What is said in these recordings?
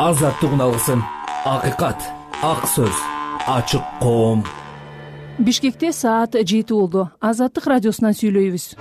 азаттыгын алгысың. Акыйкат, ак сөз, ачык коом. Бишкекте саат 7 болду. Азаттык радиосунан сүйлөйбүз.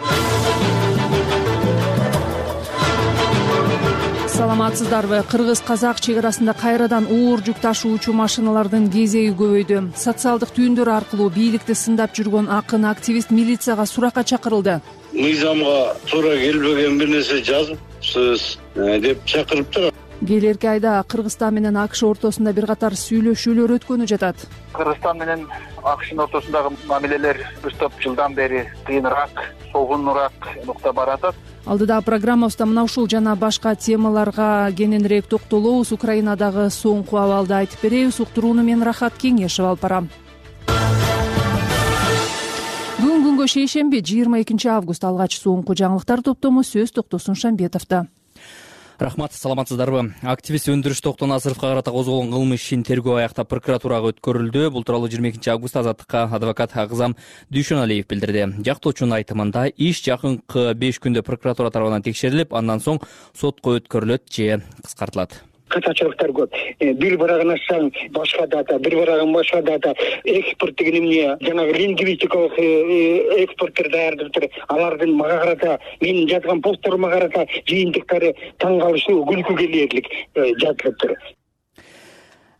Саламатсыздарбы? Кыргыз-казак чек арасында кайрадан оор жүк ташуучу машиналардын кезеги көбөйдү. Социалдык түйүндөр аркылуу бийликти сындап жүргөн акын активист милицияга суракка чакырылды. Мыйзамга туура келбеген бир нерсе жазыпсыз деп чакырыптыр. Келерки айда Кыргызстан менен АКШ ортосунда бир катар сүйлөшүүлөр өткөнү жатат. Кыргызстан менен АКШнын ортосундагы мамилелер бир топ жылдан бери кыйыныраак, согунураак нукта баратат. Алдыда программабызда мына ушул жана башка темаларга кененирээк токтолобуз. Украинадагы соңку абалды айтып беребиз. Уктурууну мен Рахат Кеңешев алып барам. Бүгүн күнгө шейшемби 22 август алгач соңку жаңылыктар топтому сөз токтосун Шамбетовдо. Рахмат, саламатсыздарбы? Активист Өндүрүш Токтоназаровго карата козголгон кылмыш ишин тергөө аяктап прокуратурага өткөрүлдү. Бул тууралуу 22 август Азаттыкка адвокат Агзам Дүйшөналиев билдирди. Жактоочунун айтымында иш жакынкы 5 күндө прокуратура тарабынан текшерилип, андан соң сотко өткөрүлөт же кыскартылат. Катачылыктар көп. Бир барагын ачсаң башка дата, бир барагын башка дата. Экспорт деген эмне? Жанагы лингвистикалык экспорттор даярдыптыр. Алардын мага карата, менин жазган постторума карата жыйынтыктары таң калыштуу, күлкү келерлик жазылыптыр.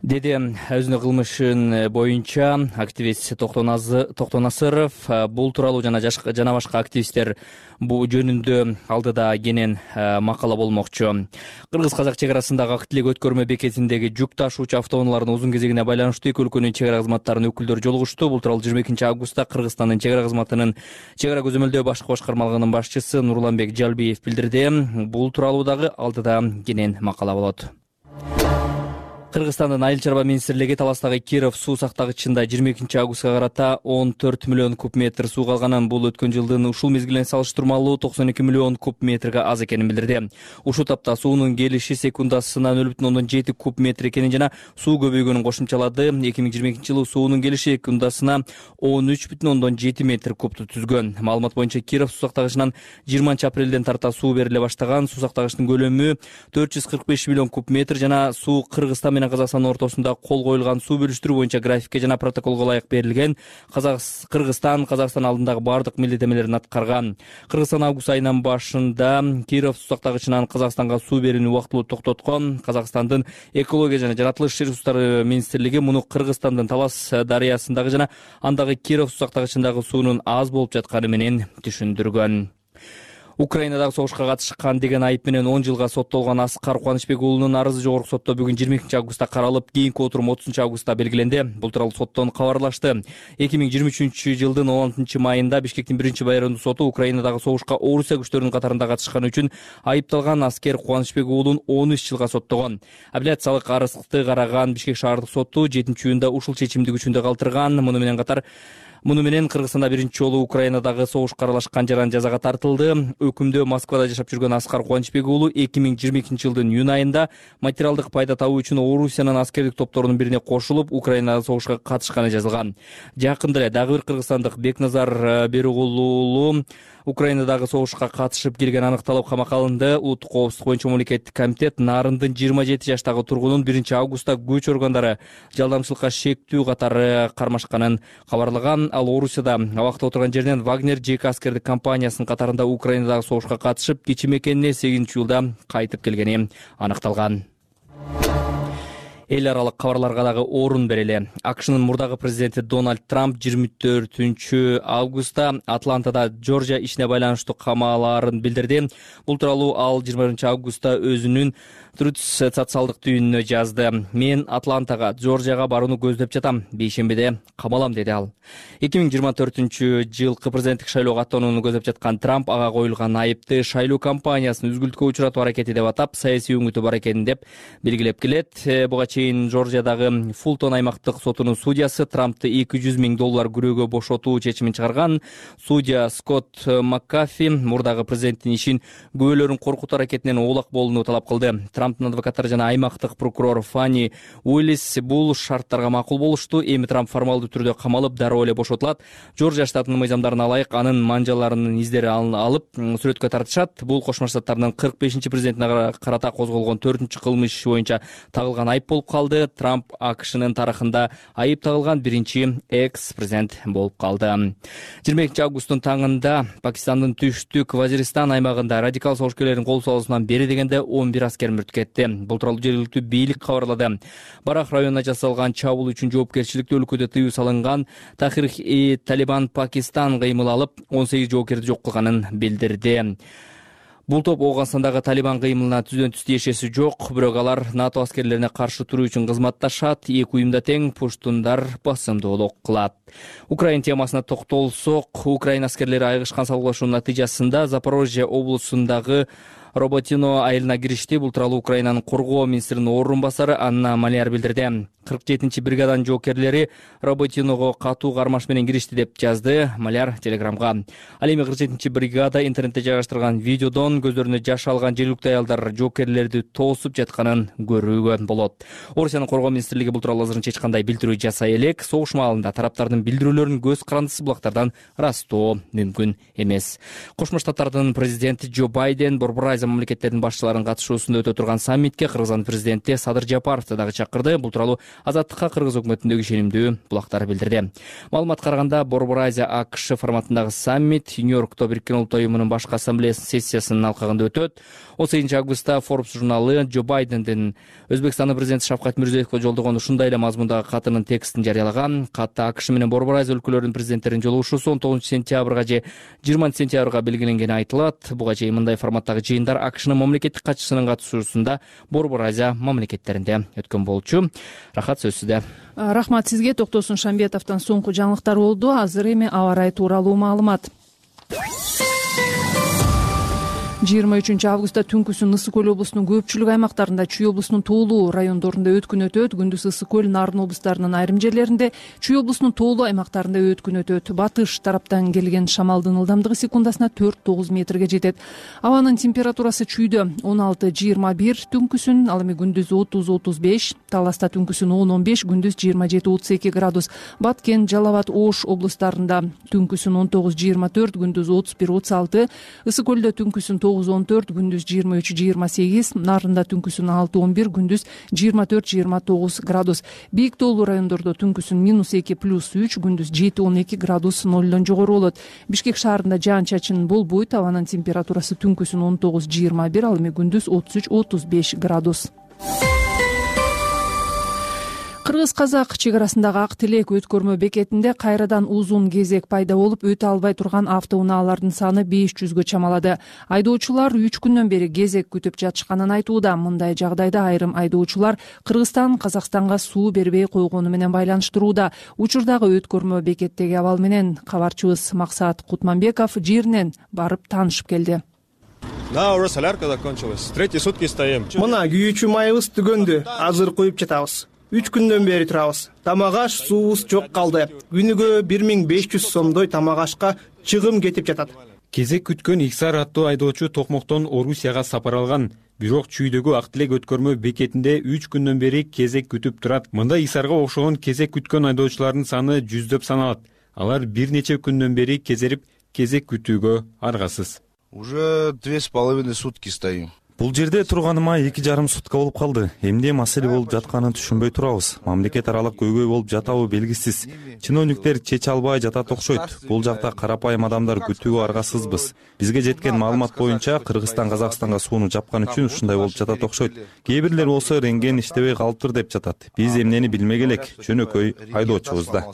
Деди өзүнүн кылмышын боюнча активист Токтоназаров. Бул тууралуу жана башка активисттер бул жөнүндө алдыда кенен макала болмокчу. Кыргыз-казак чек арасындагы ак тилек өткөрмө бекетиндеги жүк ташуучу автоунаалардын узун кезегине байланыштуу эки өлкөнүн чек ара кызматтарынын өкүлдөрү жолугушту. Бул тууралуу 22 августта Кыргызстандын чек ара кызматынын чек ара көзөмөлдөө башкы башкармалыгынын башчысы Нурланбек Жалбиев билдирди. Бул тууралуу дагы алдыда кенен макала болот. Кыргызстандын Айыл чарба министрлиги Таластагы Киров суу сактагычында 22 августка карата 14 миллион куб метр суу калганын, бул өткөн жылдын ушул мезгилине салыштырмалуу 92 миллион куб метрге аз экенин билдирди. Ушул тапта суунун келиши секундасына 0,7 куб метр экенин жана суу көбөйгөнүн кошумчалады. 2022 жылы суунун келиши секундасына 13,7 метр кубту түзгөн. Маалымат боюнча Киров суу сактагычынан 20 апрелден тарта суу бериле баштаган. Суу сактагычтын көлөмү 445 миллион куб метр жана суу Кыргызстан менен Казакстан ортосунда кол коюлган суу бөлүштүрүү боюнча графикке жана протоколго ылайык берилген. Кыргызстан Казакстан алдындагы бардык милдеттемелерин аткарган. Кыргызстан август айынын башында Киров суу сактагычынан Казакстанга суу берүүнү убактылуу токтоткон. Казакстандын экология жана жаратылыш ресурстары министрлиги муну Кыргызстандын Талас дарыясындагы жана андагы Киров суу сактагычындагы суунун аз болуп жатканы менен түшүндүргөн. Украинадагы согушка катышкан деген айып менен 10 жылга соттолгон Аскар Кубанычбек уулунун арызы жогорку сотто бүгүн 22 августта каралып, кийинки отурум 30 августта белгиленди. Бул тууралуу соттон кабарлашты. 2023 жылдын 16 майында Бишкектин 1-байрындуу соту Украинадагы согушка Орусия күчтөрүнүн катарында катышканы үчүн айыпталган Аскер Кубанычбек уулун 13 жылга соттогон. Апелляциялык арызды караган Бишкек шаардык соту 7-июнда ушул чечимди күчүндө калтырган. Муну менен Кыргызстанда биринчи жолу Украинадагы согушка аралашкан жаран жазага тартылды. Өкүмдө Москвада жашап жүргөн Аскар Кубанычбек уулу 2022 жылдын июнь айында материалдык пайда табуу үчүн Орусиянын аскердик топторунун бирине кошулуп, Украинадагы согушка катышканы жазылган. Жакында эле дагы бир кыргызстандык Бекназар Беругул уулу Украинадагы согушка катышып келгени аныкталып камакка алынды. Улуттук коопсуздук боюнча мамлекеттик комитет Нарындын 27 жаштагы тургунун 1-августта көч органдары жалдамчылыкка шектүү катары кармашканын кабарлаган. Ал Орусияда абакта отурган жеринен Вагнер ЖК аскердик компаниясынын катарында Украинадагы согушка катышып, кечи мекенине 8-июлда кайтып келгени аныкталган. Эл аралык кабарларга дагы орун берели. АКШнын мурдагы президенти Дональд Трамп 24 августта Атлантада Джорджия ишине байланыштуу камалаарын билдирди. Бул тууралуу ал 20 августта өзүнүн Truth социалдык түйүнүнө жазды. Мен Атлантага, Джорджияга барууну көздөп жатам. Бейшембиде камалам, деди ал. 2024 жылкы президенттик шайлоого аттанууну көздөп жаткан Трамп ага коюлган айыпты шайлоо кампаниясын үзгүлтүккө учуратуу аракети деп атап, саясий өңүтү бар экенин деп белгилеп келет. Буга чейин Джорджиядагы Фултон аймактык сотунун судьясы Трампты $200 000 күрөөгө бошотуу чечимин чыгарган. Судья Скотт Маккафи мурдагы президенттин ишин күбөлөрүн коркутуу аракетинен оолак болууну талап кылды. Трамптын адвокаттары жана аймактык прокурор Фанни Уиллис бул шарттарга макул болушту. Эми Трамп формалдуу түрдө камалып, дароо эле бошотулат. Жоржия штатынын мыйзамдарына ылайык анын манжаларынын издери алып сүрөткө тартышат. Бул Кошмо Штаттардын 45-президентине карата козголгон 4-чү кылмыш боюнча тагылган айып болуп калды. Трамп АКШнын тарыхында айып тагылган биринчи экс-президент болуп калды. 22 августтун таңында Пакистандын түштүк Вазиристан аймагында радикал согушкерлердин кол салуусунан бери дегенде 11 аскер мүрт кетти. Бул тууралуу жергиликтүү бийлик кабарлады. Барах районуна жасалган чабуул үчүн жоопкерчиликти өлкөдө тыюу салынган Тахрик-и-Талибан Пакистан кыймыл алып 18 жоокерди жок кылганын билдирди. Бул топ Ооганстандагы Талибан кыймылына түздөн түз тиешеси жок, бирок алар НАТО аскерлерине каршы туруу үчүн кызматташат. Эки уюмда тең пуштундар басымдуулук кылат. Украина темасына токтолсок, Украина аскерлери айыгышкан салгылашуунун натыйжасында Запорожье облусундагы Роботино айылына киришти. Бул тууралуу Украинанын коргоо министринин орун басары Анна Маляр билдирди. 47-чи бригаданын жоокерлери Роботиного катуу кармаш менен киришти деп жазды Маляр телеграмга. Ал эми 47-чи бригада интернетте жайгаштырган видеодон көздөрүнө жаш алган жергиликтүү аялдар жоокерлерди тоосуп жатканын көрүүгө болот. Орусиянын коргоо министрлиги бул тууралуу азырынча эч кандай билдирүү жасай элек. Согуш маалында тараптардын билдирүүлөрүн көз карандысы булактардан ырастоо мүмкүн эмес. Кошмо Штаттардын президенти Джо Байден Борбор Азия мамлекеттеринин башчыларынын катышуусунда өтө турган саммитке Кыргызстан президенти Садыр Жапаровду дагы чакырды. Бул тууралуу Азаттыкка Кыргыз өкмөтүндөгү ишенимдүү булактар билдирди. Маалыматка караганда Борбор Азия АКШ форматындагы саммит Нью-Йоркто Бириккен Улуттар уюмунун башкы ассамблеясынын сессиясынын алкагында өтөт. 18 августта Forbes журналы Джо Байдендин Өзбекстандын президенти Шавкат Мирзиёевге жолдогон ушундай эле мазмундагы катынын текстин жарыялаган. Катта АКШ менен Борбор Азия өлкөлөрүнүн президенттеринин жолугушуусу 19-сентябрга же 20-сентябрга белгиленгени айтылат. Буга чейин мындай форматтагы жыйындар АКШнын мамлекеттик катчысынын катышуусунда Борбор Азия мамлекеттеринде өткөн болчу. Рахат сөзсүздө. Рахмат сизге. Токтосун Шамбетовдон соңку жаңылыктар болду. Азыр эми аба ырайы тууралуу маалымат. 23 августта түнкүсүн Ысык көл облусунун көпчүлүк аймактарында, Чүй облусунун тоолуу райондорунда өткүн өтөт. Күндүз Ысык көл, Нарын облустарынын айрым жерлеринде, Чүй облусунун тоолуу аймактарында өткүн өтөт. Батыш тараптан келген шамалдын ылдамдыгы секундасына 4-9 метрге жетет. Абанын температурасы Чүйдө 16-21 түнкүсүн, ал эми күндүз 30-35, Таласта түнкүсүн 10-15, күндүз 27-32 градус. Баткен, Жалал абад, Ош облустарында түнкүсүн 19-24, күндүз 31-36, Ысык көлдө түнкүсүн 9-14, күндүз 23-28, Нарында түнкүсүн 6-11, күндүз 24-29 градус. Бийик тоолуу райондордо түнкүсүн -2 +3, күндүз 7-12 градус нолдон жогору болот. Бишкек шаарында жаан-чачын болбойт. Абанын температурасы түнкүсүн 19-21, ал эми күндүз 33-35 градус. Кыргыз-казак чек арасындагы Ак Тилек өткөрмө бекетинде кайрадан узун кезек пайда болуп, өтө албай турган автоунаалардын саны 500гө чамалады. Айдоочулар 3 күндөн бери кезек күтүп жатышканын айтууда. Мындай жагдайда айрым айдоочулар Кыргызстан Казакстанга суу бербей койгону менен байланыштырууда. Учурдагы өткөрмө бекеттеги абал менен кабарчыбыз Максат Кутманбеков жеринен барып таанышып келди. Да, уже солярка закончилась. 3 сутки стоим. Мына күйүүчү майыбыз түгөндү. Азыр куюп жатабыз. 3 күндөн бери турабыз. Тамак-аш, суубуз жок калды. Күнүгө 1500 сомдой тамак-ашка чыгым кетип жатат. Кезек күткөн Иксар аттуу айдоочу Токмоктон Орусияга сапар алган. Бирок Чүйдөгү Ак Тилек өткөрмө бекетинде 3 күндөн бери кезек күтүп турат. Мында Исарга окшогон кезек күткөн айдоочулардын саны жүздөп саналат. Алар бир нече күндөн бери кезерип, кезек күтүүгө аргасыз. Уже 2,5 сутки стоим. Бул жерде турганыма 2,5 сутка болуп калды. Эмне маселе болуп жатканын түшүнбөй турабыз. Мамлекет аралык көйгөй болуп жатабы белгисиз. Чиновниктер чече албай жатат окшойт. Бул жакта карапайым адамдар күтүүгө аргасызбыз. Бизге жеткен маалымат боюнча Кыргызстан Казакстанга сууну жапкан үчүн ушундай болуп жатат окшойт. Кээ бирлер болсо рентген иштебей калыптыр деп жатат. Биз эмнени билмек элек, жөнөкөй айдоочубуз да.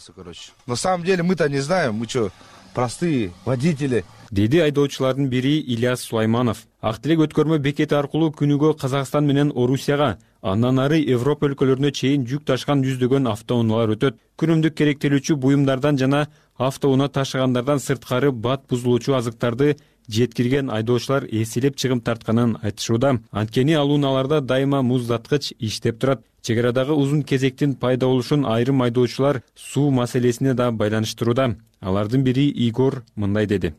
На самом деле мы-то не знаем, мы что, простые водители. Деди айдоочулардын бири Ильяс Сулайманов. Ак Тилек өткөрмө бекети аркылуу күнүгө Казакстан менен Орусияга, андан ары Европа өлкөлөрүнө чейин жүк ташкан жүздөгөн автоунаалар өтөт. Күнүмдүк керектелүүчү буюмдардан жана автоунаа ташыгандардан сырткары бат бузулуучу азыктарды жеткирген айдоочулар эселеп чыгым тартканын айтышууда. Анткени ал унааларда дайыма муздаткыч иштеп турат. Чек арадагы узун кезектин пайда болушун айрым айдоочулар суу маселесине да байланыштырууда. Алардын бири Игор мындай деди.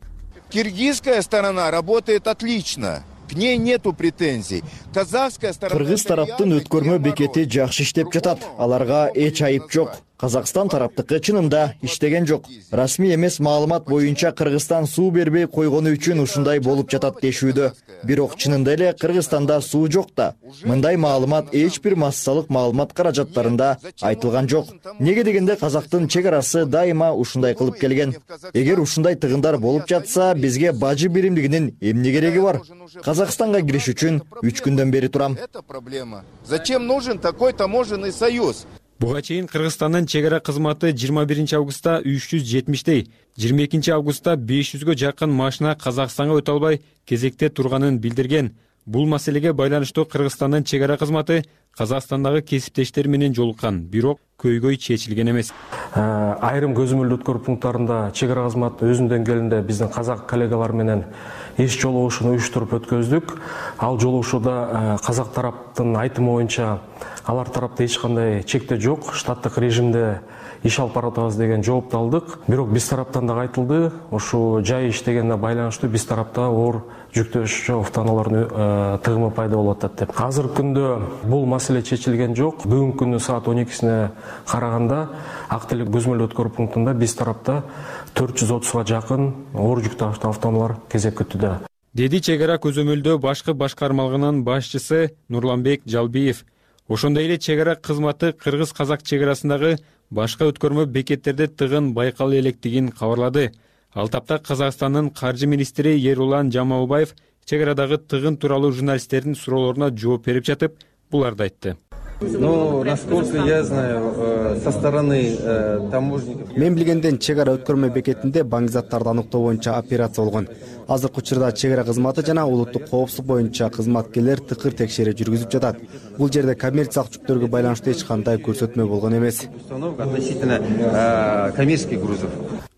Киргизская сторона работает отлично. к ней нету претензий. Казахская сторона... Кыргыз тараптын өткөрмө бекети жакшы иштеп жатат. Аларга эч айып жок. Казакстан тараптыкы чынында иштеген жок. Расмий эмес маалымат боюнча Кыргызстан суу бербей койгону үчүн ушундай болуп жатат дешүүдө. Бирок чынында эле Кыргызстанда суу жок да. Мындай маалымат эч бир массалык маалымат каражаттарында айтылган жок. Неге дегенде Казактын чек арасы дайыма ушундай кылып келген. Эгер ушундай тыгындар болуп жатса, бизге бажы биримдигинин эмне кереги бар? Казакстанга кириш үчүн 3 күндөн бери турам. Это проблема. Зачем нужен такой таможенный союз? Буга чейин Кыргызстандын чек ара кызматы 21 августта 370 22 августта 500гө жакын машина Казакстанга өтө албай кезекте турганын билдирген. Бул маселеге байланыштуу Кыргызстандын чек ара кызматы Казакстандагы кесиптештери менен жолуккан, бирок көйгөй чечилген эмес. Айрым көзөмөлдүү өткөрүү пункттарында чек ара кызматы өзүнүн деңгээлинде биздин казак коллегалар менен иш жолугушууну уюштуруп өткөздүк. Ал жолугушууда казак тараптын айтымы боюнча алар тарапта эч кандай чектөө жок, штаттык режимде иш алып баратабыз деген жоопту алдык. Бирок биз тараптан дагы айтылды, ошо жай иштегенге байланыштуу биз тарапта оор жүктөөчү автоунаалардын тыгымы пайда болуп атат деп. Азыркы күндө бул маселе чечилген жок. Бүгүнкү күнү саат 12-сине караганда Ак Телек көзөмөлдүү өткөрүү пунктунда биз тарапта 430га жакын оор жүктүү автоунаалар кезек күтүүдө. Деди чек ара көзөмөлдөө башкы башкармалыгынын башчысы Нурланбек Жалбиев. Ошондой эле чек ара кызматы кыргыз-казак чек арасындагы башка өткөрмө бекеттерде тыгын байкала электигин кабарлады. Ал тапта Казакстандын каржы министри Ерулан Жамалбаев чек арадагы тыгын тууралуу журналисттердин суроолоруна жооп берип жатып, буларды айтты. Но, насколько я знаю, со стороны таможников... Мен билгенден чек ара өткөрмө бекетинде баңгизаттарды аныктоо боюнча операция болгон. Азыркы учурда чек ара кызматы жана улуттук коопсуздук боюнча кызматкерлер тыкыр текшерүү жүргүзүп жатат. Бул жерде коммерциялык жүктөргө байланыштуу эч кандай көрсөтмө болгон эмес. Относительно коммерческих грузов.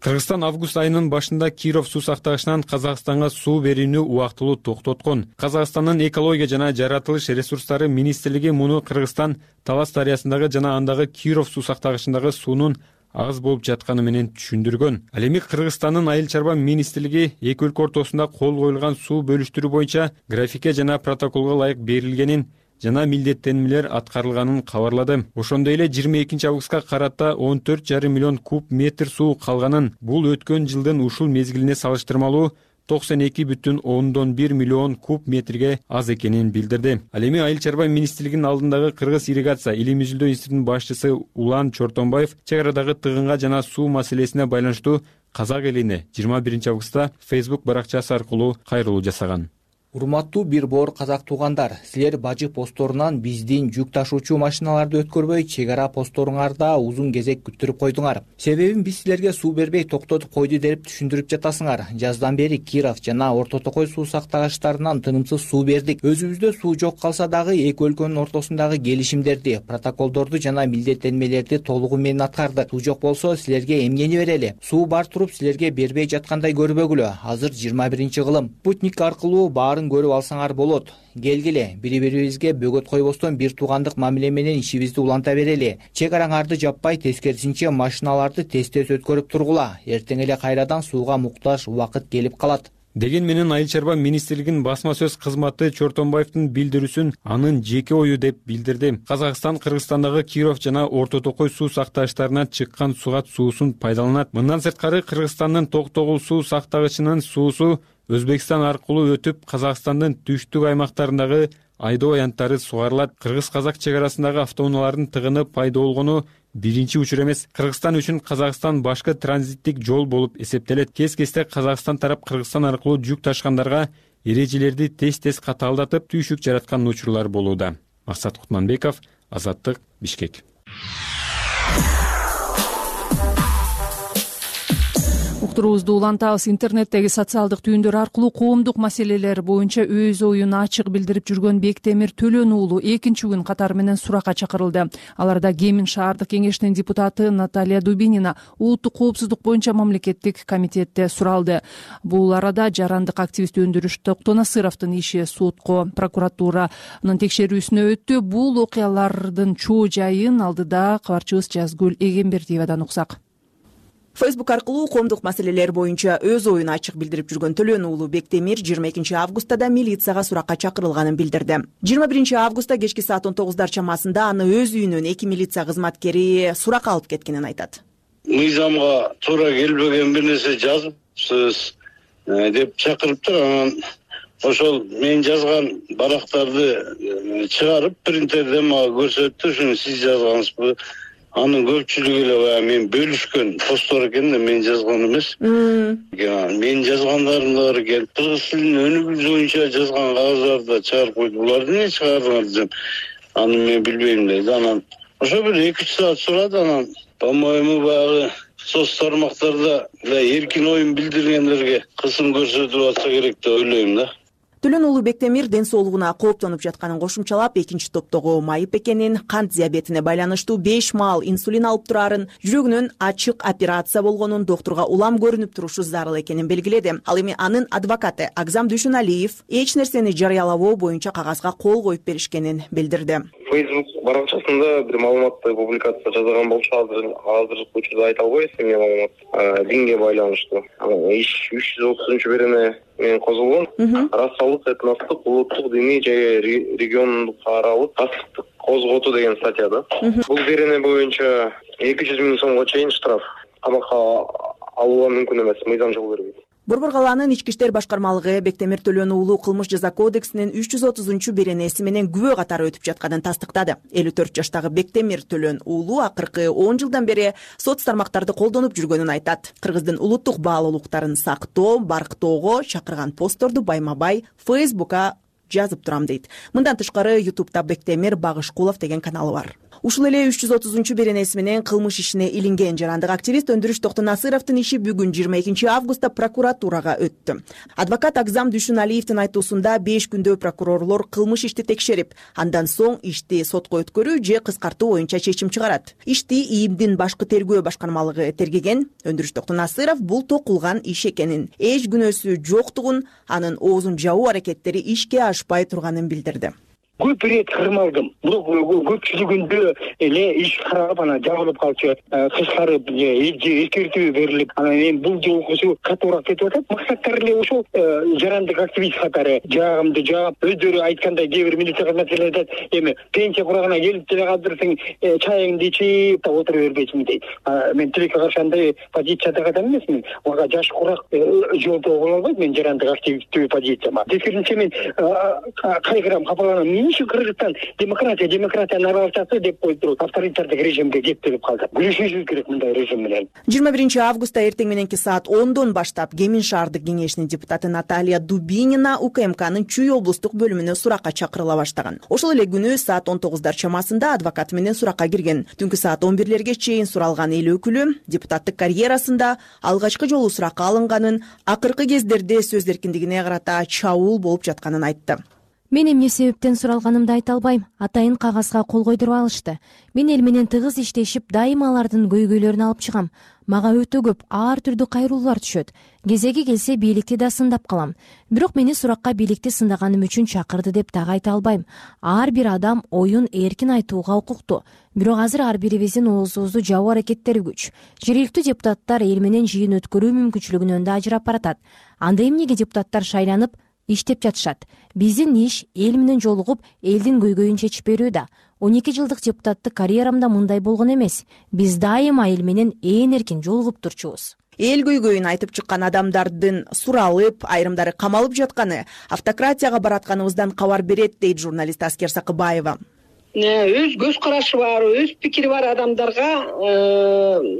Кыргызстан август айынын башында Киров суу сактагычынан Казакстанга суу берүүнү убактылуу токтоткон. Казакстандын экология жана жаратылыш ресурстары министрлиги муну Кыргызстан Талас дарыясындагы жана андагы Киров суу сактагычындагы суунун аз болуп жатканы менен түшүндүргөн. Ал эми Кыргызстандын айыл чарба министрлиги эки өлкө ортосунда кол коюлган суу бөлүштүрүү боюнча графикке жана протоколго ылайык берилгенин жана милдеттенмелер аткарылганын кабарлады. Ошондой эле 22 августка карата 14,5 миллион куб метр суу калганын, бул өткөн жылдын ушул мезгилине салыштырмалуу 92,1 миллион куб метрге аз экенин билдирди. Ал эми айыл чарба министрлигинин алдындагы Кыргыз ирригация илим изилдөө институтунун башчысы Улан Чортонбаев чек арадагы тыгынга жана суу маселесине байланыштуу казак элине 21 августта Facebook баракчасы аркылуу кайрылуу жасаган. Урматтуу бир боор казак туугандар, силер бажы постторунан биздин жүк ташуучу машиналарды өткөрбөй чек ара постторуңарда узун кезек күттүрүп койдуңар. Себебин биз силерге суу бербей токтотуп койду деп түшүндүрүп жатасыңар. Жаздан бери Киров жана Орто Токой суу сактагычтарынан тынымсыз суу бердик. Өзүбүздө суу жок калса дагы эки өлкөнүн ортосундагы келишимдерди, протоколдорду жана милдеттенмелерди толугу менен аткардык. Суу жок болсо силерге эмнени берели? Суу бар туруп силерге бербей жаткандай көрбөгүлө. Азыр 21-кылым. Спутник аркылуу баарын көрүп алсаңар болот. Келгиле, бири-бирибизге бөгөт койбостон бир туугандык мамиле менен ишибизди уланта берели. Чек араңарды жаппай, тескерисинче машиналарды тез-тез өткөрүп тургула. Эртең эле кайрадан сууга муктаж убакыт келип калат. Деген менен айыл чарба министрлигинин басма сөз кызматы Чортонбаевдин билдирүүсүн анын жеке ою деп билдирди. Казакстан Кыргызстандагы Киров жана Орто Токой суу сактагычтарынан чыккан сугат суусун пайдаланат. Мындан сырткары Кыргызстандын Токтогул суу сактагычынын суусу Өзбекстан аркылуу өтүп Казакстандын түштүк аймактарындагы айдоо аянттары сугарылат. Кыргыз-казак чек арасындагы автоунаалардын тыгыны пайда болгону биринчи учур эмес. Кыргызстан үчүн Казакстан башкы транзиттик жол болуп эсептелет. Кез-кезде Казакстан тарап Кыргызстан аркылуу жүк ташкандарга эрежелерди тез-тез катаалдатып түйшүк жараткан учурлар болууда. Максат Кутманбеков, Азаттык, Бишкек. Уктуруубузду улантабыз. Интернеттеги социалдык түйүндөр аркылуу коомдук маселелер боюнча өз оюн ачык билдирип жүргөн Бектемир Төлөн уулу экинчи күн катары менен суракка чакырылды. Аларда Кемин шаардык кеңешинин депутаты Наталья Дубинина улуттук коопсуздук боюнча мамлекеттик комитетте суралды. Бул арада жарандык активист Өндүрүш Токтонасыровдун иши сотко прокуратуранын текшерүүсүнө өттү. Бул окуялардын чоо жайын алдыда кабарчыбыз Жазгүл Эгембердиевадан уксак. Facebook аркылуу коомдук маселелер боюнча өз оюн ачык билдирип жүргөн Төлөн уулу Бектемир 22 августта да милицияга суракка чакырылганын билдирди. 21 августта кечки саат 19 чамасында аны өз үйүнөн 2 милиция кызматкери суракка алып кеткенин айтат. Мыйзамга туура келбеген бир нерсе жазыпсыз деп чакырыптыр. Анан ошол мен жазган барактарды чыгарып принтерден мага көрсөттү. Ушуну сиз жазгансызбы? Анын көпчүлүгү эле баягы мен бөлүшкөн посттор экен да, мен жазган эмес. Мен жазгандарым да бар экен. Кыргыз тилинин өнүгүү боюнча жазган кагаздарды да чыгарып койду. Буларды эмне чыгардыңар десем, аны мен билбейм деди. Анан ошо бир 2-3 саат сурады. Анан по-моему баягы соц тармактарда эркин оюн билдиргендерге кысым көрсөтүлүп атса керек деп ойлойм да. Төлөн уулу Бектемир ден соолугуна кооптонуп жатканын кошумчалап, экинчи топтогу майып экенин, кант диабетине байланыштуу 5 маал инсулин алып турарын, жүрөгүнүн ачык операция болгонун, доктурга улам көрүнүп турушу зарыл экенин белгиледи. Ал эми анын адвокаты Агзам Дүйшөналиев эч нерсени жарыялабоо боюнча кагазга кол коюп беришкенин билдирди. Facebook баракчасында бир маалыматты публикация жасаган болчу, азыркы учурда айта албайбыз эмне маалымат. Динге байланыштуу. Иш 330-берене менен козулгон. Расалык, этностук, улуттук, диний же региондук аралык кастыктык козготуу деген статьяда. Бул берене боюнча 200 000 сомго чейин штраф. Камакка алууга мүмкүн эмес, мыйзам жол бербейт. Борбор калаанын ички иштер башкармалыгы Бектемир Төлөн уулу кылмыш жаза кодексинин 330-беренеси менен күбө катары өтүп жатканын тастыктады. 54 жаштагы Бектемир Төлөн уулу акыркы 10 жылдан бери соц тармактарды колдонуп жүргөнүн айтат. Кыргыздын улуттук баалуулуктарын сактоо, барктоого чакырган постторду байма-бай Facebook'a жазып турам дейт. Мындан тышкары YouTube'да Бектемир Багышкулов деген каналы бар. Ушул эле 330-беренеси менен кылмыш ишине илинген жарандык активист Өндүрүш Токтонасыровдун иши бүгүн 22 августта прокуратурага өттү. Адвокат Агзам Дүйшөналиевдин айтуусунда 5 күндө прокурорлор кылмыш ишти текшерип, андан соң ишти сотко өткөрүү же кыскартуу боюнча чечим чыгарат. Ишти ИИМдин башкы тергөө башкармалыгы тергеген. Өндүрүш Токтонасыров бул токулган иш экенин, эч күнөөсү жоктугун, анын оозун жабуу аракеттери ишке ашпай турганын билдирди. Көп рет кырмалдым. Бирок көпчүлүгүндө эле иш каралып, анан жабылып калчу, кыскарып, эскертүү берилип, анан эми бул жолкусу катуураак кетип атат. Максаттары эле ошол жарандык активист катары жаагымды жаап, өздөрү айткандай кээ бир милиция кызматкерлери айтат, эми пенсия курагына келип деле калдырсаң, чайыңды ичип да отура бербейсиңби дейт. Мен тилекке каршы андай позицияда адам эмесмин. Мага жаш курак жолдо боло албайт мен жарандык активисттүү позицияма. Тескерисинче мен кайгырам, капаланам. Кыргызстан демократиянын аралашасы деп койду, авторитардык режимге кептелип калды. Күрөшүшүбүз керек мындай режим менен. 21 августта эртең мененки саат 10дон баштап Кемин шаардык кеңешинин депутаты Наталья Дубинина УКМКнын Чүй облустук бөлүмүнө суракка чакырыла баштаган. Ошол эле күнү саат 19 чамасында адвокат менен суракка кирген. Түнкү саат 11 чейин суралган эл өкүлү депутаттык карьерасында алгачкы жолу суракка алынганын, акыркы кездерде сөз эркиндигине карата чабуул болуп жатканын айтты. Мен эмне себептен суралганымды айта албайм. Атайын кагазга кол койдуруп алышты. Мен эл менен тыгыз иштешип, дайыма алардын көйгөйлөрүн алып чыгам. Мага өтө көп ар түрдүү кайруулар түшөт. Кезеги келсе бийликти да сындап калам. Бирок мени суракка бийликти сындаганым үчүн чакырды деп дагы айта албайм. Ар бир адам оюн эркин айтууга укуктуу. Бирок азыр ар бирибиздин оозубузду жабуу аракеттери күч. Жергиликтүү депутаттар эл менен жыйын өткөрүү мүмкүнчүлүгүнөн да ажырап баратат. Анда эмнеге депутаттар шайланып иштеп жатышат? Биздин иш эл менен жолугуп, элдин көйгөйүн чечип берүү да. 12 жылдык депутаттык карьерамда мындай болгон эмес. Биз дайыма эл менен ээн эркин жолугуп турчубуз. Эл көйгөйүн айтып чыккан адамдардын суралып, айрымдары камалып жатканы автократияга баратканыбыздан кабар берет, дейт журналист Аскер Сакыбаева. Өз көз карашы бар, өз пикири бар адамдарга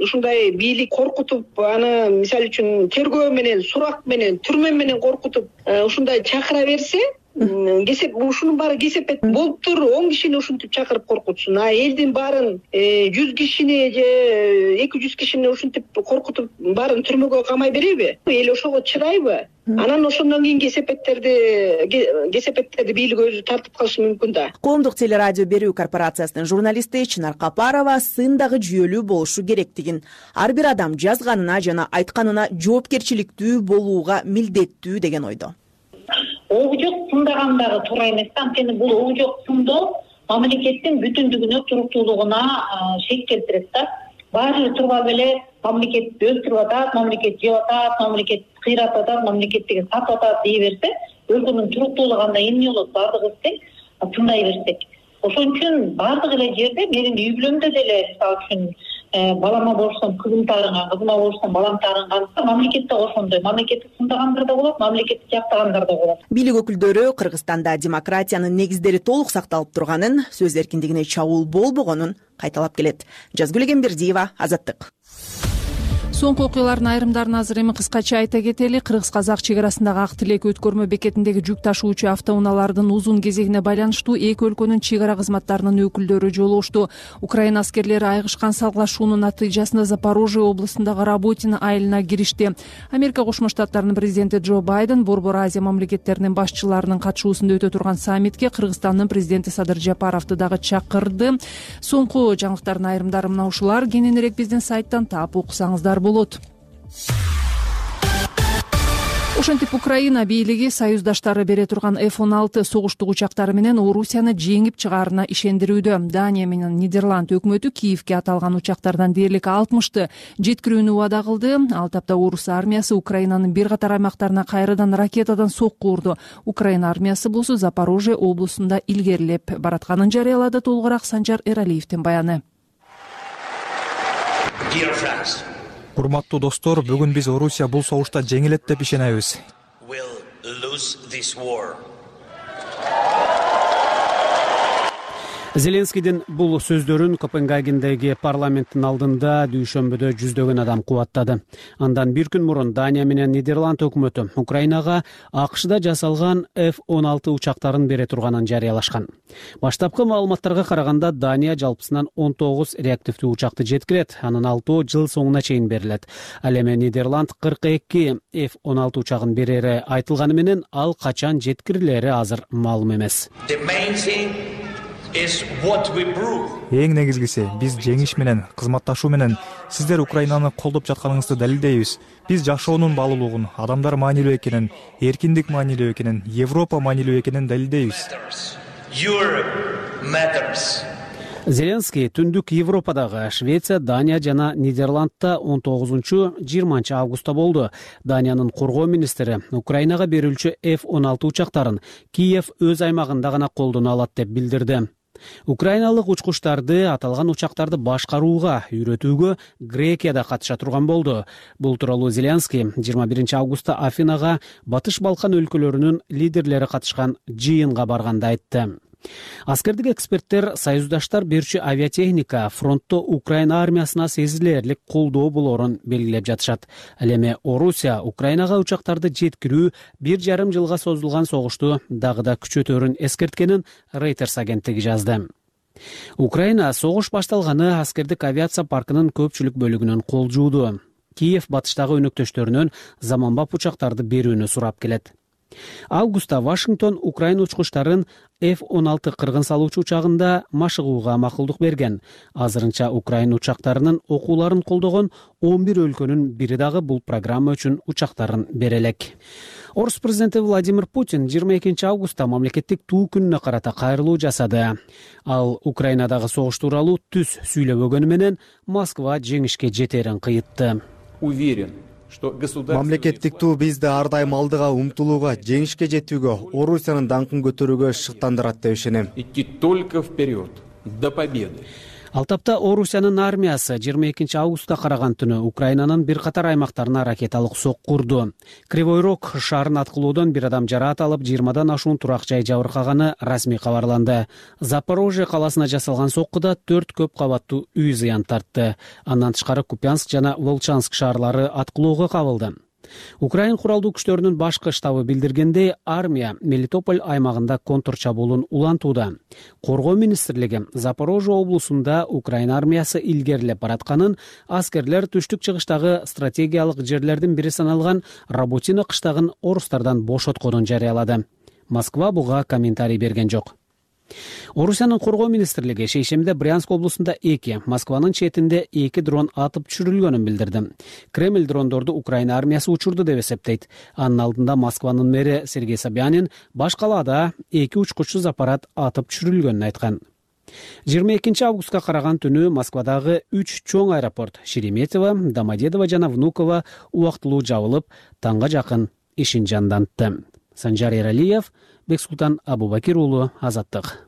ушундай бийлик коркутуп, аны мисалы үчүн тергөө менен, сурак менен, түрмө менен коркутуп, ушундай чакыра берсе, ушунун баары кесепет болуптур, 10 кишини ушинтип чакырып коркутсун. Элдин баарын 100 кишини же 200 кишини ушинтип коркутуп, баарын түрмөгө камай береби? Эл ошого чыдайбы? Анан ошондон кийин кесепеттерди бийлик өзү тартып калышы мүмкүн да. Коомдук телерадио берүү корпорациясынын журналисти Чынар Капарова сын дагы жүйөлүү болушу керектигин, ар бир адам жазганына жана айтканына жоопкерчиликтүү болууга милдеттүү деген ойдо. Ого жок сындаган дагы туура эмес. Анткени бул ого жок сындоо мамлекеттин бүтүндүгүнө, туруктуулугуна шек келтирет да. Баары турбап эле мамлекет өстүрүп атат, мамлекет жеп атат, мамлекет кыйратып атат, мамлекет деген сатып атат дей берсе, өлкөнүн туруктуулугу андай эмне болот? Бардыгыбыз тең тындай берсек. Ошон үчүн бардык эле жерде менин үй бүлөмдө деле мисалы үчүн балама болсом кызым таарынган, кызыма болсом балам таарынган, мамлекетте ошондой, мамлекетти тындагандар да болот, мамлекетти жактагандар да болот. Бийлик өкүлдөрү Кыргызстанда демократиянын негиздери толук сакталып турганын, сөз эркиндигине чабуул болбогонун кайталап келет. Жазгүл Эгембердиева, Азаттык. Соңку окуялардын айрымдарын азыр эми кыскача айта кетели. Кыргыз-казак чек арасындагы Ак Тилек өткөрмө бекетиндеги жүк ташуучу автоунаалардын узун кезегине байланыштуу эки өлкөнүн чек ара кызматтарынын өкүлдөрү жолугушту. Украина аскерлери айгышкан салгылашуунун натыйжасында Запорожье облусундагы Работино айылына киришти. Америка Кошмо Штаттарынын президенти Джо Байден Борбор Азия мамлекеттеринин башчыларынын катышуусунда өтө турган саммитке Кыргызстандын президенти Садыр Жапаровду дагы чакырды. Соңку жаңылыктардын айрымдары мына ушулар. Кененирээк биздин сайттан таап окусаңыздар болот. Ошентип Украина бийлиги союздаштары бере турган F-16 согуштук учактары менен Орусияны жеңип чыгаарына ишендирүүдө. Дания менен Нидерланд өкмөтү Киевке аталган учактардан дээрлик 60-ты жеткирүүнү убада кылды. Ал тапта Орус армиясы Украинанын бир катар аймактарына кайрадан ракетадан сокку урду. Украина армиясы болсо Запорожье облусунда илгерилеп баратканын жарыялады. Толугураак Санжар Эралиевдин баяны. Урматтуу достор, бүгүн биз Орусия бул согушта жеңилет деп ишенебиз. Зеленскийдин бул сөздөрүн Копенгагендеги парламенттин алдында дүйшөмбүдө жүздөгөн адам кубаттады. Андан бир күн мурун Дания менен Нидерланд өкмөтү Украинага АКШда жасалган F-16 учактарын бере турганын жарыялашкан. Баштапкы маалыматтарга караганда Дания жалпысынан 19 реактивдүү учакты жеткирет, анын 6 жыл соңуна чейин берилет. Ал эми Нидерланд 42 F-16 учагын берери айтылганы менен ал качан жеткирилери азыр маалым эмес. Эң негизгиси, биз жеңиш менен, кызматташуу менен сиздер Украинаны колдоп жатканыңызды далилдейбиз. Биз жашоонун баалуулугун, адамдар маанилүү экенин, эркиндик маанилүү экенин, Европа маанилүү экенин далилдейбиз. Зеленский түндүк Европадагы Швеция, Дания жана Нидерландта 19-20 августта болду. Даниянын коргоо министри Украинага берилчү F-16 учактарын Киев өз аймагында гана колдоно алат деп билдирди. Украиналык учкучтарды аталган учактарды башкарууга, үйрөтүүгө Грекияда катыша турган болду. Бул тууралуу Зеленский 21 августта Афинага Батыш Балкан өлкөлөрүнүн лидерлери катышкан жыйынга барганда айтты. Аскердик эксперттер союздаштар берүүчү авиатехника фронтто Украина армиясына сезилерлик колдоо болоорун белгилеп жатышат. Ал эми Орусия Украинага учактарды жеткирүү 1,5 жылга созулган согушту дагы да күчөтөрүн эскерткенин Reuters агенттиги жазды. Украина согуш башталганы аскердик авиация паркынын көпчүлүк бөлүгүнөн кол жууду. Киев батыштагы өнөктөштөрүнөн заманбап учактарды берүүнү сурап келет. Августта Вашингтон Украина учкучтарын F-16 кыргын салуучу учагында машыгууга макулдук берген. Азырынча Украина учактарынын окууларын колдогон 11 өлкөнүн бири дагы бул программа үчүн учактарын бере элек. Орус президенти Владимир Путин 22 августта мамлекеттик туу күнүнө карата кайрылуу жасады. Ал Украинадагы согуш тууралуу түз сүйлөбөгөнү менен Москва жеңишке жетерин кыйытты. Уверен, мамлекеттик туу бизди ар дайым алдыга умтулууга, жеңишке жетүүгө, Орусиянын даңкын көтөрүүгө шыктандырат деп ишенем. Идти только вперед, до победы. Ал тапта Орусиянын армиясы 22 августта караган түнү Украинанын бир катар аймактарына ракеталык сокку урду. Кривой Рог шаарын аткылоодон бир адам жараат алып, 20дан ашуун турак жай жабыркаганы расмий кабарланды. Запорожье каласына жасалган соккуда 4 көп кабаттуу үй зыян тартты. Андан тышкары Купянск жана Волчанск шаарлары аткылоого кабылды. Украин куралдуу күчтөрүнүн башкы штабы билдиргендей, армия Мелитополь аймагында контр чабуулун улантууда. Коргоо министрлиги Запорожье облусунда Украина армиясы илгерилеп баратканын, аскерлер түштүк чыгыштагы стратегиялык жерлердин бири саналган Работино кыштагын орустардан бошотконун жарыялады. Москва буга комментарий берген жок. Орусиянын коргоо министрлиги шейшембиде Брянск облусунда 2, Москванын четинде 2 дрон атып түшүрүлгөнүн билдирди. Кремль дрондорду Украина армиясы учурду деп эсептейт. Анын алдында Москванын мэри Сергей Собянин баш калаада 2 учкучсуз аппарат атып түшүрүлгөнүн айткан. 22 августка караган түнү Москвадагы 3 чоң аэропорт Шереметьево, Домодедово жана Внуково убактылуу жабылып, таңга жакын ишин жандантты. Санжар Эралиев, Бексултан Абубакир уулу, Азаттык.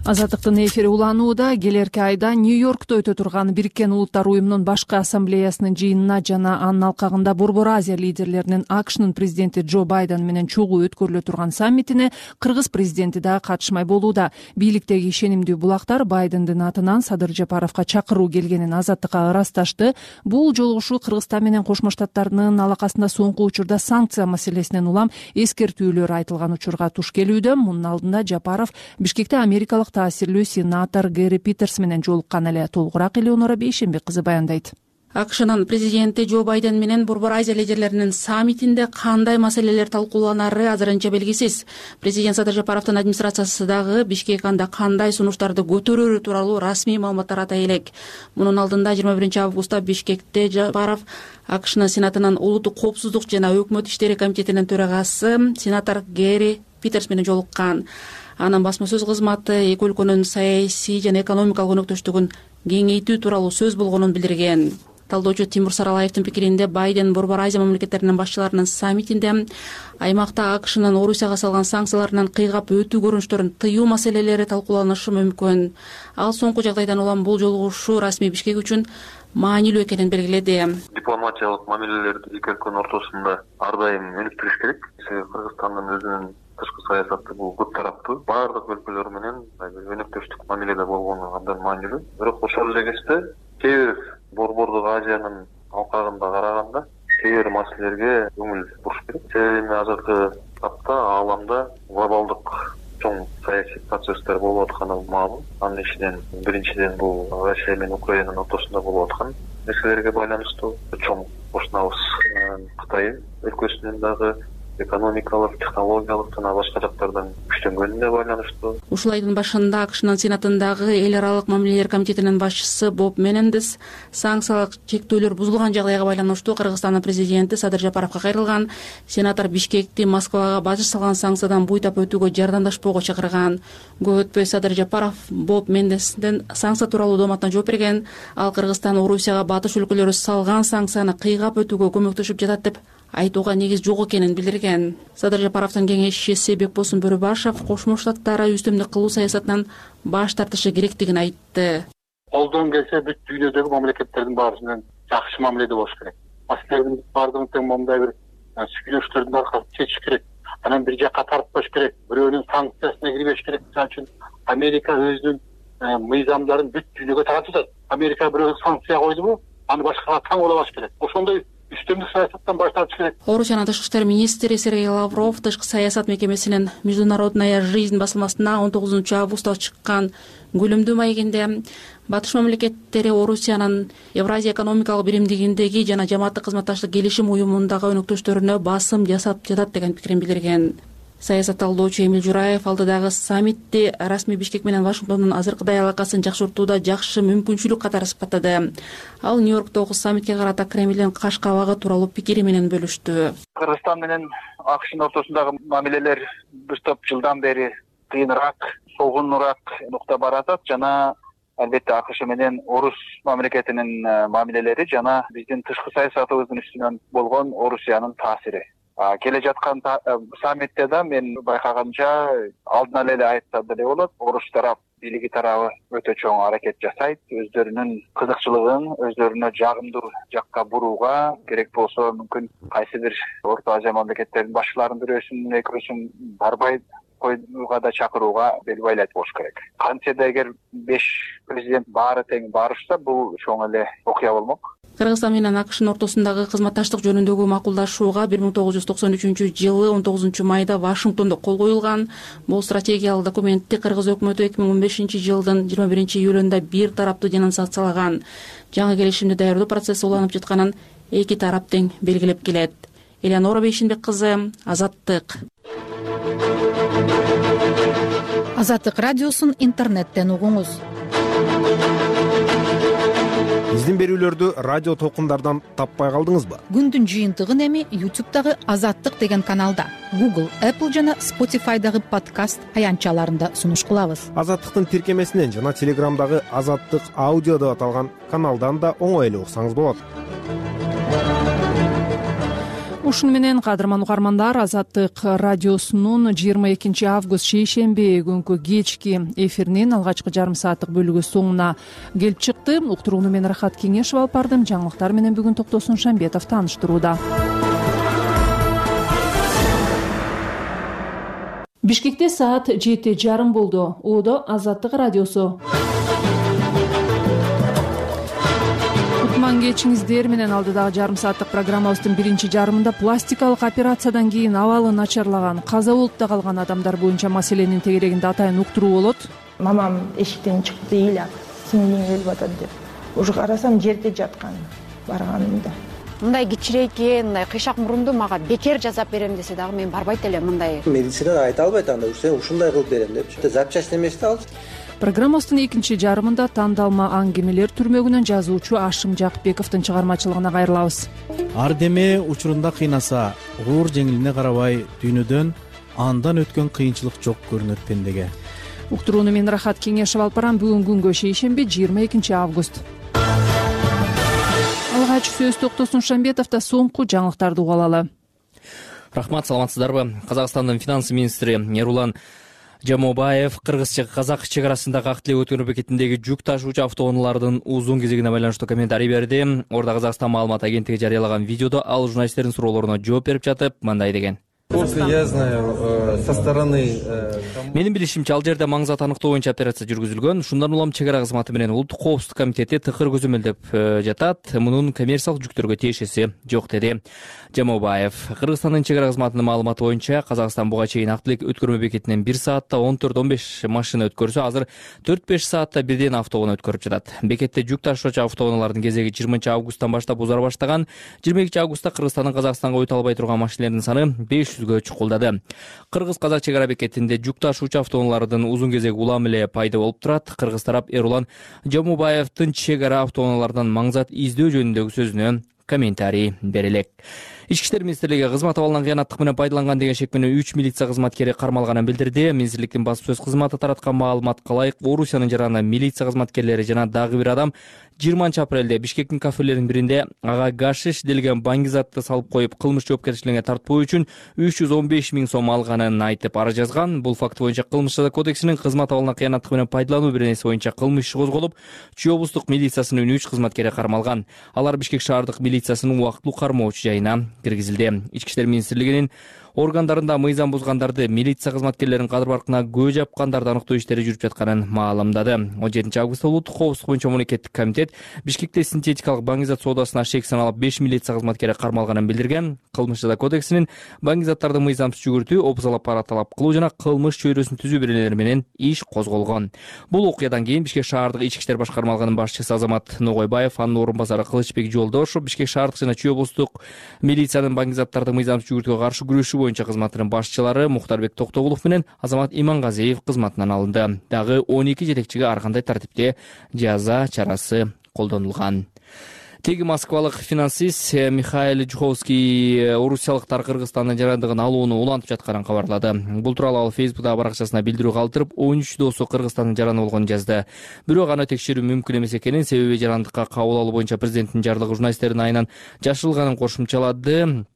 Азаттыктын эфири уланууда. Келерки айда Нью-Йоркто өтө турган Бириккен Улуттар уюмунун башкы ассамблеясынын жыйынына жана анын алкагында Борбор Азия лидерлеринин AQShnын президенти Джо Байден менен чогуу өткөрүлө турган саммитине Кыргыз президенти да катышмай болууда. Бийликтеги ишенимдүү булактар Байдендин атынан Садыр Жапаровго чакыруу келгенин Азаттыкка ырасташты. Бул жолугушуу Кыргызстан менен Кошмо Штаттардын алакасында соңку учурда санкция маселесинен улам эскертүүлөр айтылган учурга туш келүүдө. Мунун алдында Жапаров Бишкекте америкалык таасирлүү сенатор Гэри Питерс менен жолуккан эле. Толугураак Элеонора Бейшенбек кызы баяндайт. AQShnын президенти Джо Байден менен Борбор Азия лидерлеринин саммитинде кандай маселелер талкууланары азырынча белгисиз. Президент Садыр Жапаровдун администрациясы дагы Бишкек анда кандай сунуштарды көтөрөрү тууралуу расмий маалыматтар атай элек. Мунун алдында 21 августта Бишкекте Жапаров AQShnын сенатынын улуттук коопсуздук жана өкмөт иштери комитетинин төрагасы сенатор Гэри Питерс менен жолуккан. Анын басма сөз кызматы эки өлкөнүн саясий жана экономикалык өнөктөштүгүн кеңейтүү тууралуу сөз болгонун билдирген. Талдоочу Тимур Саралаевдин пикиринде Байден Борбор Азия мамлекеттеринин башчыларынын саммитинде аймакта AQShnын Орусияга салган санкцияларынан кыйгап өтүү көрүнүштөрүн тыюу маселелери талкууланышы мүмкүн. Ал соңку жагдайдан улам бул жолугушуу расмий Бишкек үчүн маанилүү экенин белгиледи. Дипломатиялык мамилелерди эки өлкөнүн ортосунда ар дайым өнүктүрүш керек. Кыргызстандын өзүнүн тышкы саясаты бул көп тараптуу, баардык өлкөлөр менен өнөктөштүк мамиледе болгону абдан маанилүү. Бирок ошол эле кезде кээ бир Борбордук Азиянын алкагында караганда кээ бир маселелерге көңүл буруш керек. Себеби азыркы тапта ааламда глобалдык чоң саясий процесстер болуп атканы маалым. Анын ичинен биринчиден бул Россия менен Украинанын ортосунда болуп аткан нерселерге байланыштуу. Чоң кошунабыз Кытай өлкөсүнүн дагы экономикалык, технологиялык жана башка жактардан күчтөнгөнүнө байланыштуу. Ушул айдын башында AQShnын сенатындагы эл аралык мамилелер комитетинин башчысы Боб Менендес санкциялык чектөөлөр бузулган жагдайга байланыштуу Кыргызстандын президенти Садыр Жапаровго кайрылган. Сенатор Бишкекти Москвага бажы салган санкциядан буйтап өтүүгө жардамдашпоого чакырган. Көп өтпөй Садыр Жапаров Боб Менендестен санкция тууралуу дооматына жооп берген. Ал Кыргызстан Орусияга батыш өлкөлөрү салган санкцияны кыйгап өтүүгө көмөктөшүп жатат деп айтууга негиз жок экенин билдирген. Садыр Жапаровдун кеңешчиси Бекбосун Бөрүбашев Кошмо Штаттары үстөмдүк кылуу саясатынан баш тартышы керектигин айтты. Колдон келсе бүт дүйнөдөгү мамлекеттердин баарысынан жакшы мамиледе болуш керек. Маселелердин баардыгын тең мындай бир сүйлөшүүлөрдүн аркасында чечиш керек. Анан бир жакка тартпаш керек. Бирөөнүн санкциясына кирбеш керек. Мисалы үчүн Америка өзүнүн мыйзамдарын бүт дүйнөгө таратып атат. Америка бирөө санкция койдубу, аны башкага таң болобаш керек. Ошондой үстөмдүк саясаттан баш тартыш керек. Орусиянын тышкы иштер министри Сергей Лавров тышкы саясат мекемесинин Международная жизнь басылмасына 19 августта чыккан күлүмдүү маегинде батыш мамлекеттери Орусиянын Евразия экономикалык биримдигиндеги жана жамааттык кызматташтык келишим уюмундагы өнөктөштөрүнө басым жасап жатат деген пикирин билдирген. Саясат талдоочу Эмил Жураев алдыдагы саммитти расмий Бишкек менен Вашингтондун азыркыдай алакасын жакшыртууда жакшы мүмкүнчүлүк катары сыпаттады. Ал Нью-Йорктогу саммитке карата Кремлдин каш кабагы тууралуу пикири менен бөлүштү. Кыргызстан менен AQShnын ортосундагы мамилелер бир топ жылдан бери кыйыныраак, солгунураак нукта баратат жана албетте AQSh менен Орус мамлекетинин мамилелери жана биздин тышкы саясатыбыздын үстүнөн болгон Орусиянын таасири. Келе жаткан саммитте да мен байкаганча алдынан эле айтса деле болот. Орус тарап, бийлиги тарабы өтө чоң аракет жасайт. Өздөрүнүн кызыкчылыгын өздөрүнө жагымдуу жакка бурууга, керек болсо мүмкүн кайсы бир Орто Азия мамлекеттеринин башчыларын бирөөсүн, экөөсүн барбай коюуга да чакырууга бел байлайт болуш керек. Кантсе да эгер 5 президент баары тең барышса, бул чоң эле окуя болмок. Кыргызстан менен AQShnын ортосундагы кызматташтык жөнүндөгү макулдашууга 1993 жылы 19 майда Вашингтондо кол коюлган. Бул стратегиялык документти Кыргыз өкмөтү 2015 жылдын 21 июлунда бир тараптуу денонсациялаган. Жаңы келишимди даярдоо процесси уланып жатканын эки тарап тең белгилеп келет. Элеонора Бейшенбек кызы, Азаттык. Азаттык радиосун интернеттен угуңуз. Биздин берүүлөрдү радио толкундардан таппай калдыңызбы? Күндүн жыйынтыгын эми YouTube'дагы Азаттык деген каналда, Google, Apple жана Spotify'дагы подкаст аянтчаларында сунуш кылабыз. Азаттыктын тиркемесинен жана Телеграмдагы Азаттык аудио деп аталган каналдан да оңой эле уксаңыз болот. Ушуну менен кадырман угармандар, Азаттык радиосунун 22 август шейшемби күнкү кечки эфиринин алгачкы жарым сааттык бөлүгү соңуна келип чыкты. Уктурууну мен Рахат Кеңешов алып бардым. Жаңылыктар менен бүгүн Токтосун Шамбетов тааныштырууда. Бишкекте саат 7:30 болду. Одо Азаттык радиосу. Кечиңиздер менен алдыдагы жарым сааттык программабыздын биринчи жарымында пластикалык операциядан кийин абалы начарлаган, каза болуп да калган адамдар боюнча маселенин тегерегинде атайын уктуруу болот. Мамам эшиктен чыкты, ыйлап, сиңдиң өлүп атат деп. Уже карасам жерде жаткан барганымда. Мындай кичирейкен, мындай кыйшак мурунду мага бекер жасап берем десе дагы мен барбайт элем мындай. Медицинада айта албайт анда, сен ушундай кылып берем депчи. Запчасть эмес да ал. Программабыздын экинчи жарымында тандалма аңгемелер түрмөгүнөн жазуучу Ашым Жакпековдун чыгармачылыгына кайрылабыз. Ар деме учурунда кыйнаса, оор жеңилине карабай дүйнөдөн андан өткөн кыйынчылык жок көрүнөт пендеге. Уктурууну мен Рахат Кеңешов алып барам. Бүгүн күнгө шейшемби 22 август. Алгач сөз Токтосун Шамбетовдо соңку жаңылыктарды угуп алалы. Рахмат, саламатсыздарбы? Казакстандын финанс министри Эрулан Жамобаев кыргыз-казак чек арасындагы ак тилек өткөрүү бекетиндеги жүк ташуучу автоунаалардын узун кезегине байланыштуу комментарий берди. Орда Казакстан маалымат агенттиги жарыялаган видеодо ал журналисттердин суроолоруна жооп берип жатып мындай деген. Я знаю, со стороны... Менин билишимче, ал жерде маңзат аныктоо боюнча операция жүргүзүлгөн. Шундан улам чек ара кызматы менен улуттук коопсуздук комитети тыкыр көзөмөлдөп жатат. Мунун коммерциялык жүктөргө тиешеси жок, деди Жамобаев. Кыргызстандын чек ара кызматынын маалыматы боюнча Казакстан буга чейин ак тилек өткөрмө бекетинен 1 саатта 14-15 машина өткөрсө, азыр 4-5 саатта бирден автоунаа өткөрүп жатат. Бекетте жүк ташуучу автоунаалардын кезеги 20 августтан баштап узара баштаган. 22 августта Кыргызстандын Казакстанга өтө албай турган машинелердин саны 500гө чукулдады. Кыргыз-казак чек ара бекетинде жүк ташуучу автоунаалардын узун кезеги улам эле пайда болуп турат. Кыргыз тарап Эрулан Жамобаевдин чек ара автоунаалардан маңзат издөө жөнүндөгү сөзүнө комментарий бере элек. Ички иштер министрлиги кызмат абалынан кыянаттык менен пайдаланган деген шек менен 3 милиция кызматкери кармалганын билдирди. Министрликтин басып сөз кызматы тараткан маалыматка ылайык, Орусиянын жараны милиция кызматкерлери жана дагы бир адам 20 апрелде Бишкектин кафелеринин биринде ага гашиш делген баңгизатты салып коюп, кылмыш жоопкерчилигине тартпоо үчүн 315 000 сом алганын айтып ара жазган. Бул факт боюнча Кылмыш жаза кодексинин кызмат абалына кыянаттык менен пайдалануу беренеси боюнча кылмыш иши козголуп, Чүй облустук милициясынын 3 кызматкери кармалган. Алар Бишкек шаардык милициясынын убактылуу кармоочу жайына киргизилди. Ички иштер министрлигинин органдарында мыйзам бузгандарды, милиция кызматкерлеринин кадыр баркына көө жапкандарды аныктоо иштери жүрүп жатканын маалымдады. 17 августта улуттук коопсуздук боюнча мамлекеттик комитет Бишкекте синтетикалык баңгизат соодасына шек саналып 5 милиция кызматкери кармалганын билдирген. Кылмыш жаза кодексинин баңгизаттарды мыйзамсыз жүгүртүү, опузалап пара талап кылуу жана кылмыш чөйрөсүн түзүү беренелери менен иш козголгон. Бул окуядан кийин Бишкек шаардык ички иштер башкармалыгынын башчысы Азамат Ногойбаев, анын орун басары Кылычбек Жолдошов, Бишкек шаардык жана Чүй облустук милициянын баңгизаттарды мыйзамсыз жүгүртүүгө каршы күрөшүү боюнча кызматынын башчылары Мухтарбек Токтогулов менен Азамат Имангазиев кызматынан алынды. Дагы 12 жетекчиге ар кандай тартипте жаза чарасы колдонулган. Теги москвалык финансист Михаил Жуховский орусиялыктар Кыргызстандын жарандыгын алууну улантып жатканын кабарлады. Бул тууралуу ал Фейсбуктагы баракчасына билдирүү калтырып, 13 досу Кыргызстандын жараны болгонун жазды. Бирок аны текшерүү мүмкүн эмес экенин, себеби жарандыкка кабыл алуу боюнча президенттин жарлыгы журналисттердин айынан жашырылганын кошумчалады.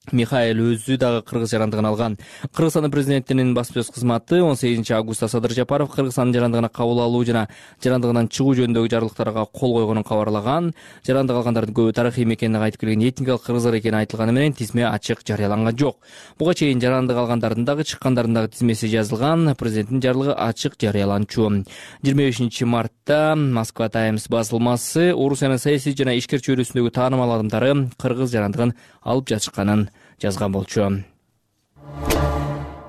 Михаил өзү дагы кыргыз жарандыгын алган. Кыргызстандын президентинин баспасөз кызматы 18 августта Садыр Жапаров Кыргызстандын жарандыгына кабыл алуу жана жарандыгынан чыгуу жөнүндөгү жарлыктарга кол койгонун кабарлаган. Жарандык алгандардын көбү тарыхый мекенине кайтып келген этникалык кыргыздар экени айтылганы менен тизме ачык жарыяланган жок. Буга чейин жарандык алгандардын дагы чыккандардын дагы тизмеси жазылган. Президенттин жарлыгы ачык жарыяланчу. 25 мартта Москва Таймс басылмасы Орусиянын саясий жана ишкер чөйрөсүндөгү таанымал адамдары кыргыз жарандыгын алып жатышканын жазган болчу.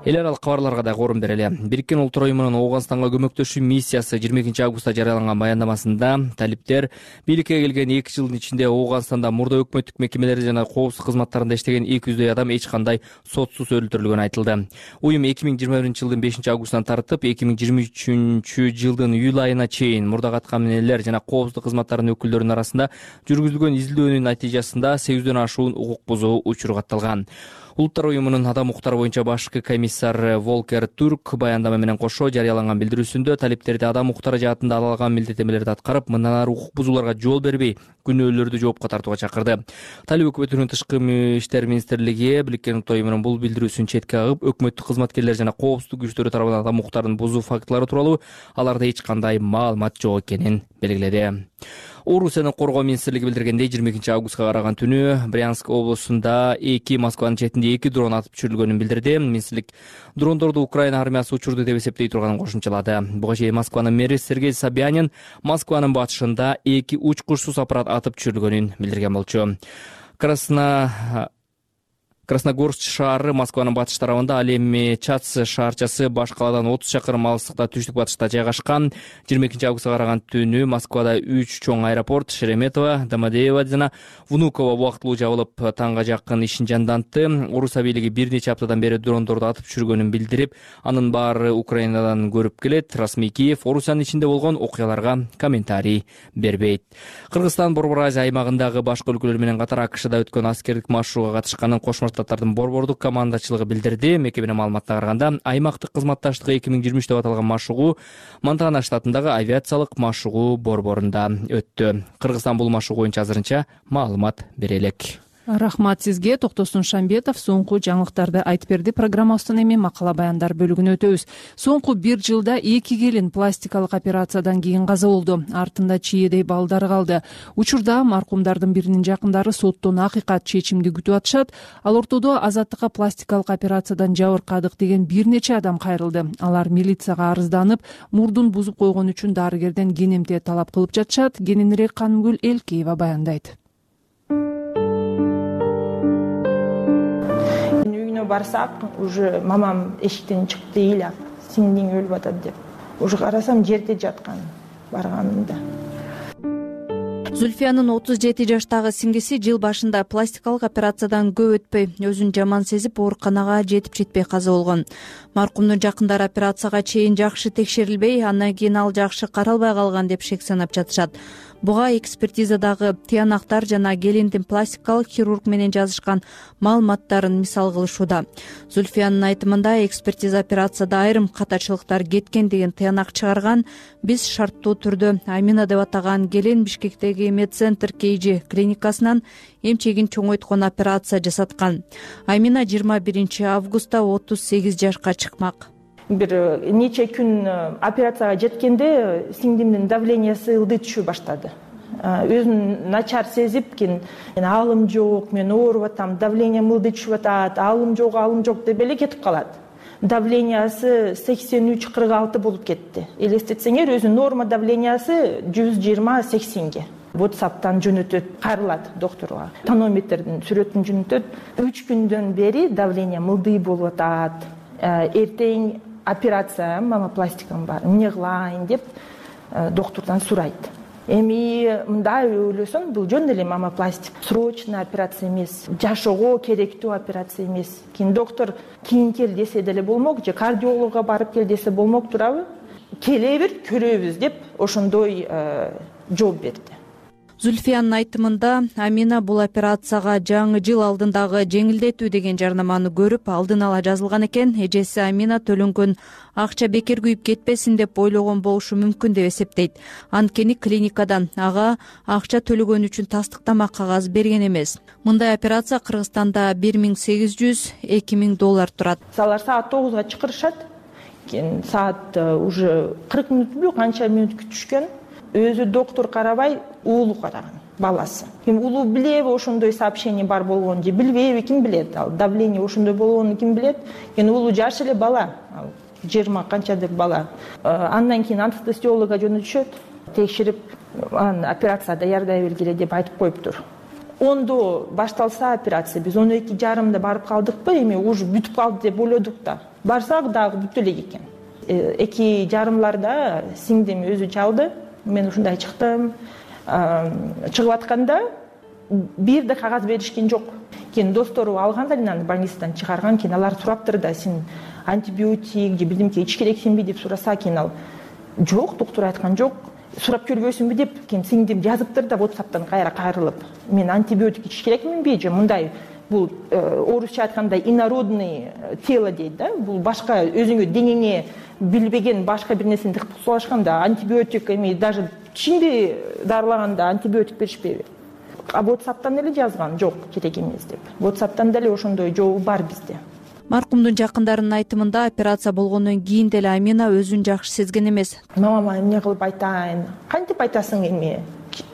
эл аралык кабарларга да орун берели. Бириккен Улуттар уюмунун Ооганстанга көмөктөшүү миссиясы 22 августта жарыяланган баяндамасында талиптер бийликке келген 2 жылдын ичинде Ооганстанда мурда өкмөттүк мекемелерде жана коопсуздук кызматтарында иштеген 200дөй адам эч кандай сотсуз өлтүрүлгөнү айтылды. Уюм 2021-жылдын 5-августунан тартып 2023-жылдын июль айына чейин мурда каткаминелер жана коопсуздук кызматтарынын өкүлдөрүнүн арасында жүргүзүлгөн изилдөөнүн натыйжасында 800дөн ашуун укук бузуу учуру катталган. Улуттар уюмунун адам укуктары боюнча башкы комиссар Волкер Турк баяндама менен кошо жарыяланган билдирүүсүндө талиптерди адам укуктары жаатында ала алган милдеттенмелерди аткарып, мындан ары укук бузууларга жол бербей, күнөөлөрдү жоопко тартууга чакырды. Талип өкмөтүнүн тышкы иштер министрлиги Бириккен Улуттар уюмунун бул билдирүүсүн четке кагып, өкмөттүк кызматкерлер жана коопсуздук күчтөрү тарабынан адам укуктарын бузуу фактылары тууралуу аларда эч кандай маалымат жок экенин белгиледи. Орусиянын коргоо министрлиги билдиргендей, 22 августка караган түнү Брянск облусунда 2 Москванын четинде 2 дрон атып түшүрүлгөнүн билдирди. Министрлик дрондорду Украина армиясы учурду деп эсептей турганын кошумчалады. Буга чейин Москванын мэри Сергей Собянин Москванын батышында 2 учкучсуз аппарат атып түшүрүлгөнүн билдирген болчу. Красногорск шаары Москванын батыш тарабында, ал эми Чац шаарчасы баш калаадан 30 чакырым алыстыкта түштүк батышта жайгашкан. 22 августка караган түнү Москвада 3 чоң аэропорт Шереметово, Домодедово жана Внуково убактылуу жабылып, таңга жакын ишин жандантты. Орусия бийлиги бир нече аптадан бери дрондорду атып түшүргөнүн билдирип, анын баары Украинадан көрүп келет. Расмий Киев Орусиянын ичинде болгон окуяларга комментарий бербейт. Кыргызстан Борбор Азия аймагындагы башка өлкөлөр менен катар АКШда өткөн аскердик машыгууга катышканын Кошмо Штаттардын борбордук командачылыгы билдирди. Мекеменин маалыматына караганда, аймактык кызматташтыгы 2023 деп аталган машыгуу Монтана штатындагы авиациялык машыгуу борборунда өттү. Кыргызстан бул машыгуу боюнча азырынча маалымат бере элек. Рахмат сизге. Токтосун Шамбетов соңку жаңылыктарды айтып берди. Программабыздын эми макала баяндар бөлүгүнө өтөбүз. Соңку 1 жылда 2 келин пластикалык операциядан кийин каза болду. Артында чиедей балдары калды. Учурда маркумдардын биринин жакындары соттон акыйкат чечимди күтүп атышат. Ал ортодо азаттыкка пластикалык операциядан жабыркадык деген бир нече адам кайрылды. Алар милицияга арызданып, мурдун бузуп койгон үчүн дарыгерден ген талап кылып жатышат. Кененирээк Канымгүл Элкеева баяндайт. Барсак, уже мамам эшиктен чыкты ыйлап, сиңдиң өлүп атат деп. Уже карасам жерде жаткан барганымда. Зульфиянын 37 жаштагы сиңдиси жыл башында пластикалык операциядан көп өтпөй, өзүн жаман сезип ооруканага жетпей каза болгон. Маркумдун жакындары операцияга чейин жакшы текшерилбей, андан кийин ал жакшы каралбай калган деп шек санап жатышат. Буга экспертизадагы тыянактар жана келиндин пластикалык хирург менен жазышкан маалыматтарын мисал кылышууда. Зульфиянын айтымында, экспертиза операцияда айрым катачылыктар кеткен деген тыянак чыгарган. Биз шарттуу түрдө Амина деп атаган келин Бишкектеги Медцентр KG клиникасынан эмчегин чоңойткон операция жасаткан. Амина 21 августта 38 жашка чыкмак. Бир нече күн операцияга жеткенде сиңдимдин давлениясы ылдый түшө баштады. Өзүн начар сезип, аалым жок, мен ооруп атам, давлениям ылдый түшүп атат, аалым жок деп эле кетип калат. Давлениясы 83-46 болуп кетти. Элестетсеңер, өзүнүн норма давлениясы 120-80ге. WhatsApp'тан жөнөтөт, кайрылат докторго. Тонометрдин сүрөтүн жөнөтөт. 3 күндөн бери давлениям ылдый болуп атат. Эртең операция, мамопластикам бар, эмне кылайын деп доктордон сурайт. Эми мындай ойлосоң, бул жөн эле мамопластик, срочный операция эмес, жашоого керектүү операция эмес. Кийин доктор кийин кел десе деле болмок, же кардиологко барып кел десе болмок турабы? Келе бер, көрөбүз деп ошондой жооп берди. Зульфиянын айтымында, Амина бул операцияга жаңы жыл алдындагы жеңилдетүү деген жарнаманы көрүп, алдын ала жазылган экен. Эжеси Амина төлөнгөн акча бекер күйүп кетпесин деп ойлогон болушу мүмкүн деп эсептейт. Анткени клиникадан ага акча төлөгөн үчүн тастыктама кагаз берген эмес. Мындай операция Кыргызстанда $1,800–2,000 турат. Алар саат 9га чакырышат. Саат уже 40 мүнөтпү, канча мүнөт күтүшкөн. Өзү доктор карабай, уулу караган, баласы. Уулу билеби ошондой сообщение бар болгонун же билбейби, ким билет? Ал давление ошондой болгонун ким билет? Уулу жаш эле бала, 20 канчадыр бала. Андан кийин анестезиологко жөнөтүшөт, текшерип, операция даярдай бергиле деп айтып коюптур. 10-до башталса операция, биз 12:30 барып калдыкпы, эми уже бүтүп калды деп ойлодук да. барсак дагы бүт элек экен. 2,5 сиңдим өзү чалды. Мен ушундай чыктым. Чыгып атканда бир да кагаз беришкен жок. Кийин достору алган да аны больницадан чыгарган. Кийин алар сураптыр да, сен антибиотик же бирдемке ич керексиңби деп сураса, кийин ал жок, доктор айткан жок. Сурап көрбөйсүңбү деп, кийин сиңдим жазыптыр да WhatsApp'тан кайра кайрылып. Мен антибиотик ич керекминби же мындай бул орусча айтканда инородный тело дейт да. Бул башка өзүңө деңеңе билбеген башка бир нерсени тыгып салышканда антибиотик эми даже тишиңди дарылаганда антибиотик беришпейби. WhatsApp'тан эле жазган, жок керек эмес деп. WhatsApp'тан деле ошондой жообу бар бизде. Маркумдун жакындарынын айтымында операция болгондон кийин деле Амина өзүн жакшы сезген эмес. Мамама эмне кылып айтайын? Кантип айтасың эми?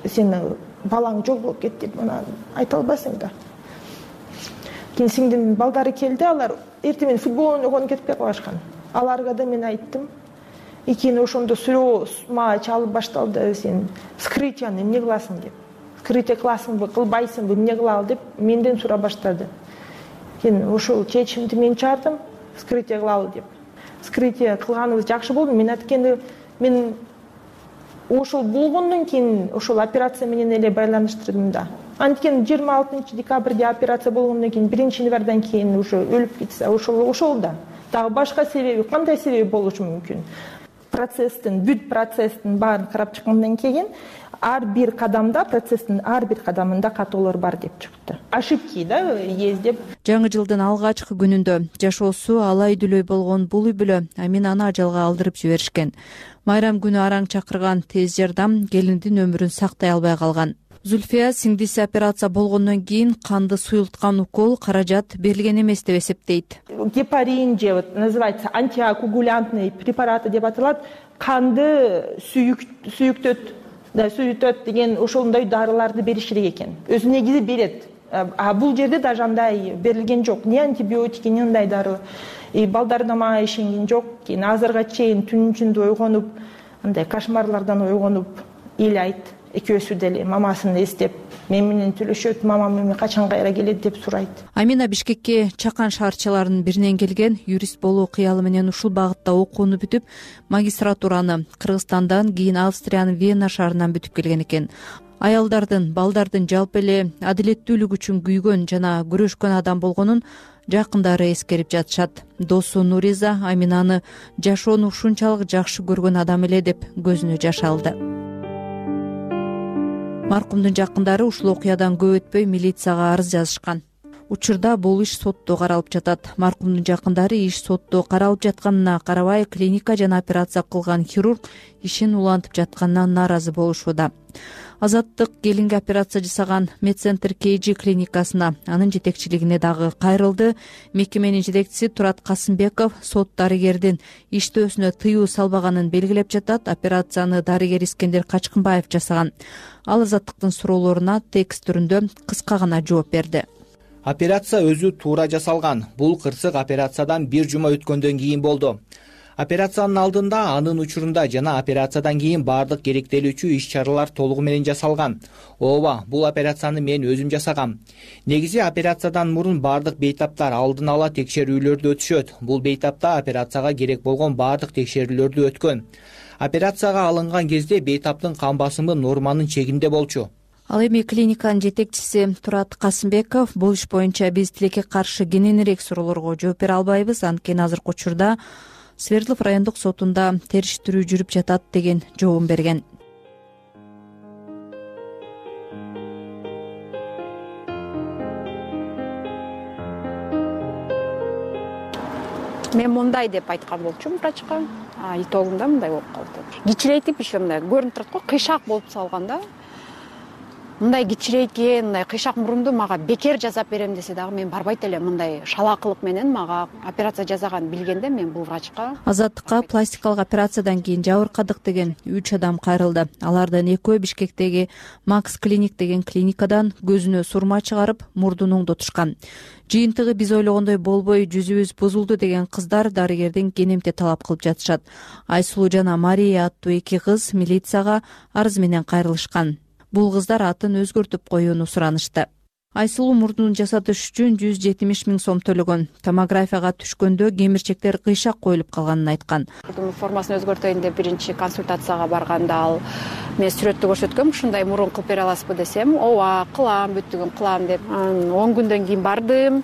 Сенин балаң жок болуп кетти деп мына айта албайсың да. Кийин сиңдин балдары келди, алар эртең менен футбол ойногону кетпей калышкан. Аларга да мен айттым. Кийин ошондо сүрөө мага чалып башталды. Сен вскрытияны эмне кыласың деп. Вскрытие кыласыңбы, кылбайсыңбы, эмне кылалы деп менден сурап баштады. Кийин ошол чечимди мен чыгардым, вскрытие кылалы деп. Вскрытие кылганыбыз жакшы болду. Мен айткенде мен ошол болгондон кийин ошол операция менен эле байланыштырдым да. Анткени 26 декабрда операция болгондон кийин 1 январдан кийин уже өлүп кетсе, ошол да. Дагы башка себеби, кандай себеби болушу мүмкүн? Бүт процесстин баарын карап чыккандан кийин ар бир кадамда, процесстин ар бир кадамында катоолор бар деп чыкты. Ошибки да есть деп. Жаңы жылдын алгачкы күнүндө жашоосу алай дүлөй болгон бул үй бүлө Аминаны ажалга алдырып жиберишкен. Майрам күнү араң чакырган тез жардам келиндин өмүрүн сактай албай калган. Зульфия сиңдиси операция болгондон кийин канды суюлткан укол каражат берилген эмес деп эсептейт. Гепарин же называется антикоагулянтный препараты деп аталат. Канды сүйүктөт деген ошондой дарыларды бериш керек экен. Өзү негизи берет. А бул жерде даже андай берилген жок. Ни антибиотики, ни андай дары. Балдар да мага ишенген жок. Кийин азырга чейин түнүн ичинде ойгонуп, андай кошмарлардан ойгонуп ыйлайт. Экөөсү деле мамасын эстеп, мен менен сүйлөшөт, мамам эми качан кайра келет деп сурайт. Амина Бишкекке чакан шаарчаларынын биринен келген, юрист болуу кыялы менен ушул багытта окууну бүтүп, магистратураны Кыргызстандан, кийин Австриянын Вена шаарынан бүтүп келген экен. Аялдардын, балдардын жалпы эле адилеттүүлүк үчүн күйгөн жана күрөшкөн адам болгонун жакындары эскерип жатышат. Досу Нуриза Аминаны жашоону ушунчалык жакшы көргөн адам эле деп көзүнө жаш алды. Маркумдун жакындары ушул окуядан көп өтпөй милицияга арыз жазышкан. Учурда бул иш сотто каралып жатат. Маркумдун жакындары иш сотто каралып жатканына карабай, клиника жана операция кылган хирург ишин улантып жатканына нааразы болушууда. Азаттык келинге операция жасаган Медцентр KG клиникасына, анын жетекчилигине дагы кайрылды. Мекеменин жетекчиси Турат Касымбеков сот дарыгердин иштөөсүнө тыюу салбаганын белгилеп жатат. Операцияны дарыгер Искендер Качкынбаев жасаган. Ал Азаттыктын суроолоруна текст түрүндө кыска гана жооп берди. Операция өзү туура жасалган. Бул кырсык операциядан 1 жума өткөндөн кийин болду. Операциянын алдында, анын учурунда жана операциядан кийин баардык керектелүүчү иш-чаралар толугу менен жасалган. Ооба, бул операцияны мен өзүм жасагам. Негизи операциядан мурун баардык бейтаптар алдын ала текшерүүлөрдү өтүшөт. Бул бейтапта операцияга керек болгон баардык текшерүүлөрдү өткөн. Операцияга алынган кезде бейтаптын кан басымы норманын чегинде болчу. Ал эми клиниканын жетекчиси Турат Касымбеков бул иш боюнча биз тилекке каршы кененирээк суроолорго жооп бере албайбыз, анткени азыркы учурда Свердлов райондук сотунда териштирүү жүрүп жатат деген жообун берген. Мен мындай деп айткан болчумун врачка. Итогунда мындай болуп калды. Кичирейтип иши мындай көрүнүп турат го, кыйшак болуп салган да. Мындай кичирейген, мындай кыйшак мурунду мага бекер жасап берем десе дагы мен барбайт элем. Мындай шалаакылык менен мага операция жасаган билгенде мен бул врачка. Азаттыкка пластикалык операциядан кийин жабыркадык деген 3 адам кайрылды. Алардын экөө Бишкектеги Макс Клиник деген клиникадан көзүнө сурма чыгарып, мурдун оңдотушкан. Жыйынтыгы биз ойлогондой болбой, жүзүбүз бузулду деген кыздар дарыгердин кенемте талап кылып жатышат. Айсулуу жана Мария аттуу 2 кыз милицияга арыз менен кайрылышкан. Бул кыздар атын өзгөртүп коюуну суранышты. Айсулуу мурдун жасатыш үчүн 170 000 сом төлөгөн. Томографияга түшкөндө кемирчектер кыйшак коюлуп калганын айткан. Мурдун формасын өзгөртөйүн деп биринчи консультацияга барганда ал мен сүрөттү көрсөткөм, ушундай мурун кылып бере аласызбы десем, ооба кылам, бүттүгүн кылам деп. 10 күндөн кийин бардым,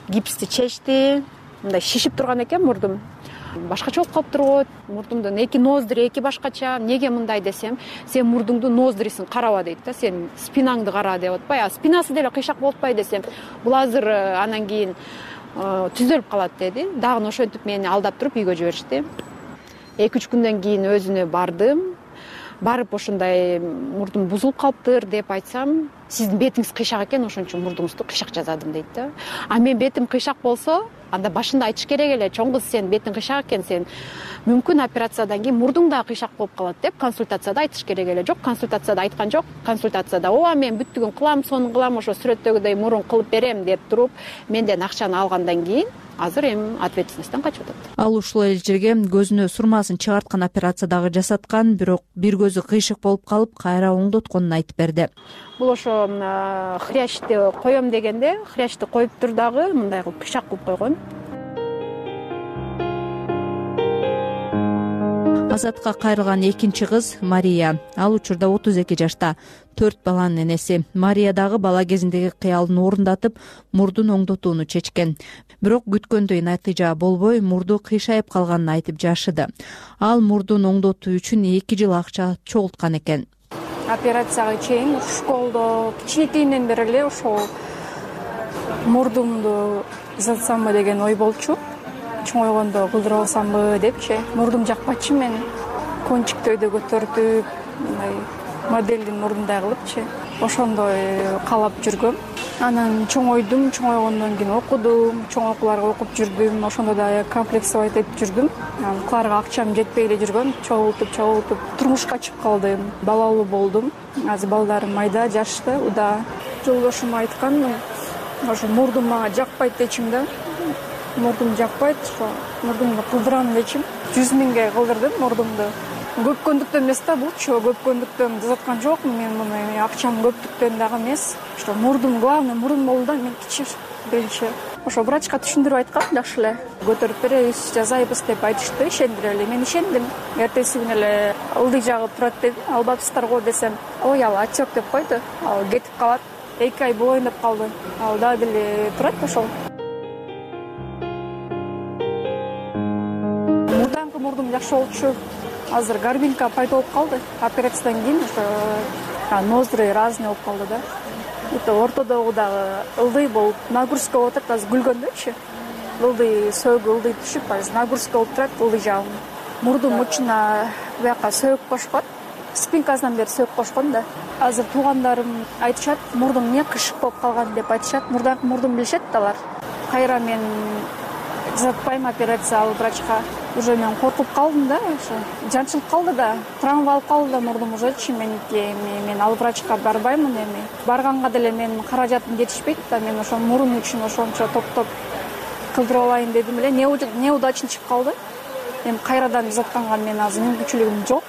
гипсти чечти, мындай шишип турган экен мурдум. Башкача болуп калыптыр го, мурдумдун эки ноздри эки башкача. Неге мындай десем, сен мурдуңдун ноздрисин караба дейт да, сен спинаңды кара деп атпайбы, спинасы деле кыйшак болуп атпайбы десем, бул азыр анан кийин түзөлүп калат деди. Дагы ошентип мени алдап туруп үйгө жиберишти. 2-3 күндөн кийин өзүнө бардым. Барып ушундай мурдум бузулуп калыптыр деп айтсам, сиздин бетиңиз кыйшак экен, ошон үчүн мурдуңузду кыйшак жасадым дейт да. А мен бетим кыйшак болсо, анда башында айтыш керек эле, чоң кыз сен бетиң кыйшак экен, сен мүмкүн операциядан кийин мурдуң да кыйшак болуп калат деп консультацияда айтыш керек эле. Жок, консультацияда айткан жок. Консультацияда ооба мен бүттүгүн кылам, сонун кылам, ошо сүрөттөгүдөй мурун кылып берем деп туруп, менден акчаны алгандан кийин азыр эми ответственностьтан качып атат. Ал ушул эле жерге көзүнө сурмасын чыгарткан операция дагы жасаткан, бирок бир көзү кыйшык болуп калып, кайра оңдотконун айтып берди. Бул ошо хрящти коем дегенде, хрящти коюптур дагы мындай кылып кыйшак кылып койгон. Азатка кайрылган экинчи кыз Мария. Ал учурда 32 жашта, 4 баланын энеси. Мария дагы бала кезиндеги кыялын орундатып, мурдун оңдотууну чечкен. Бирок күткөндөй натыйжа болбой, мурду кыйшайып калганын айтып жашыды. Ал мурдун оңдотуу үчүн 2 жыл акча чогулткан экен. Операцияга чейин школдо кичинекейинен бери эле ошол мурдумду узатсамбы деген ой болчу. Чоңойгондо кылдырып алсамбы депчи. Мурдум жакпачы, мен кончиктөйдө көтөртүп, мындай модельдин мурдундай кылыпчы. Ошондой каалап жүргөм. Анан чоңойдум, чоңойгондон кийин окудум, чоң окууларга окуп жүрдүм. Ошондо да комплексовый этип жүрдүм. Кыларга акчам жетпей эле жүргөн, чогултуп турмушка чыгып калдым. Балалуу болдум. Азыр балдарым майда, жашты, уда. Жолдошум айткан, ошо мурдум мага жакпайт дечим да. Мурдум жакпайт, ошо мурдумду кылдырам дечим. 100 000 кылдырдым мурдумду. Көпкөндүктөн эмес да булчу, көпкөндүктөн жазаткан жокмун мен муну, акчам көптүктөн дагы эмес. Ошо мурдум, главный мурдум болду да, мен кичи биринчи. Ошо врачка түшүндүрүп айткам, жакшы эле. Көтөрүп беребиз, жазайбыз деп айтышты, ишендире эле. Мен ишендим. Эртеси күнү эле ылдый жагып турат деди. Албапсыздар го десем, ой, ал отек деп койду. Ал кетип калат. 2 ай болоюн деп калды. Ал дагы деле турат ошол. Мурдум жакшы болчу. Азыр горбинка пайда болуп калды. Операциядан кийин ошо ноздри разный болуп калды да. Это ортодогу дагы ылдый болуп, нагрузка болуп атат, азыр күлгөндөчү. Ылдый сөөгү ылдый түшүп, азыр нагрузка болуп турат ылдый жагым. Мурдум учуна буяка сөөгүп кошкон. Спинкасынан бери сөөгүп кошкон да. Азыр туугандарым айтышат, мурдум эмне кышык болуп калган деп айтышат. Мурдум билишет алар. Кайра мен жазатпайм операция алып врачка. Уже мен коркуп калдым да, ошо жанчылып калды да, травма алып калды да мурдум ужечи. Мен ал врачка барбаймын эми. Барганга деле мен каражатым жетишпейт да, мен ошо мурун үчүн ошончо топтоп кылдырып алайын дедим эле. Неудачный чыгып калды. Эми кайрадан жазатканга мен азыр мүмкүнчүлүгүм жок.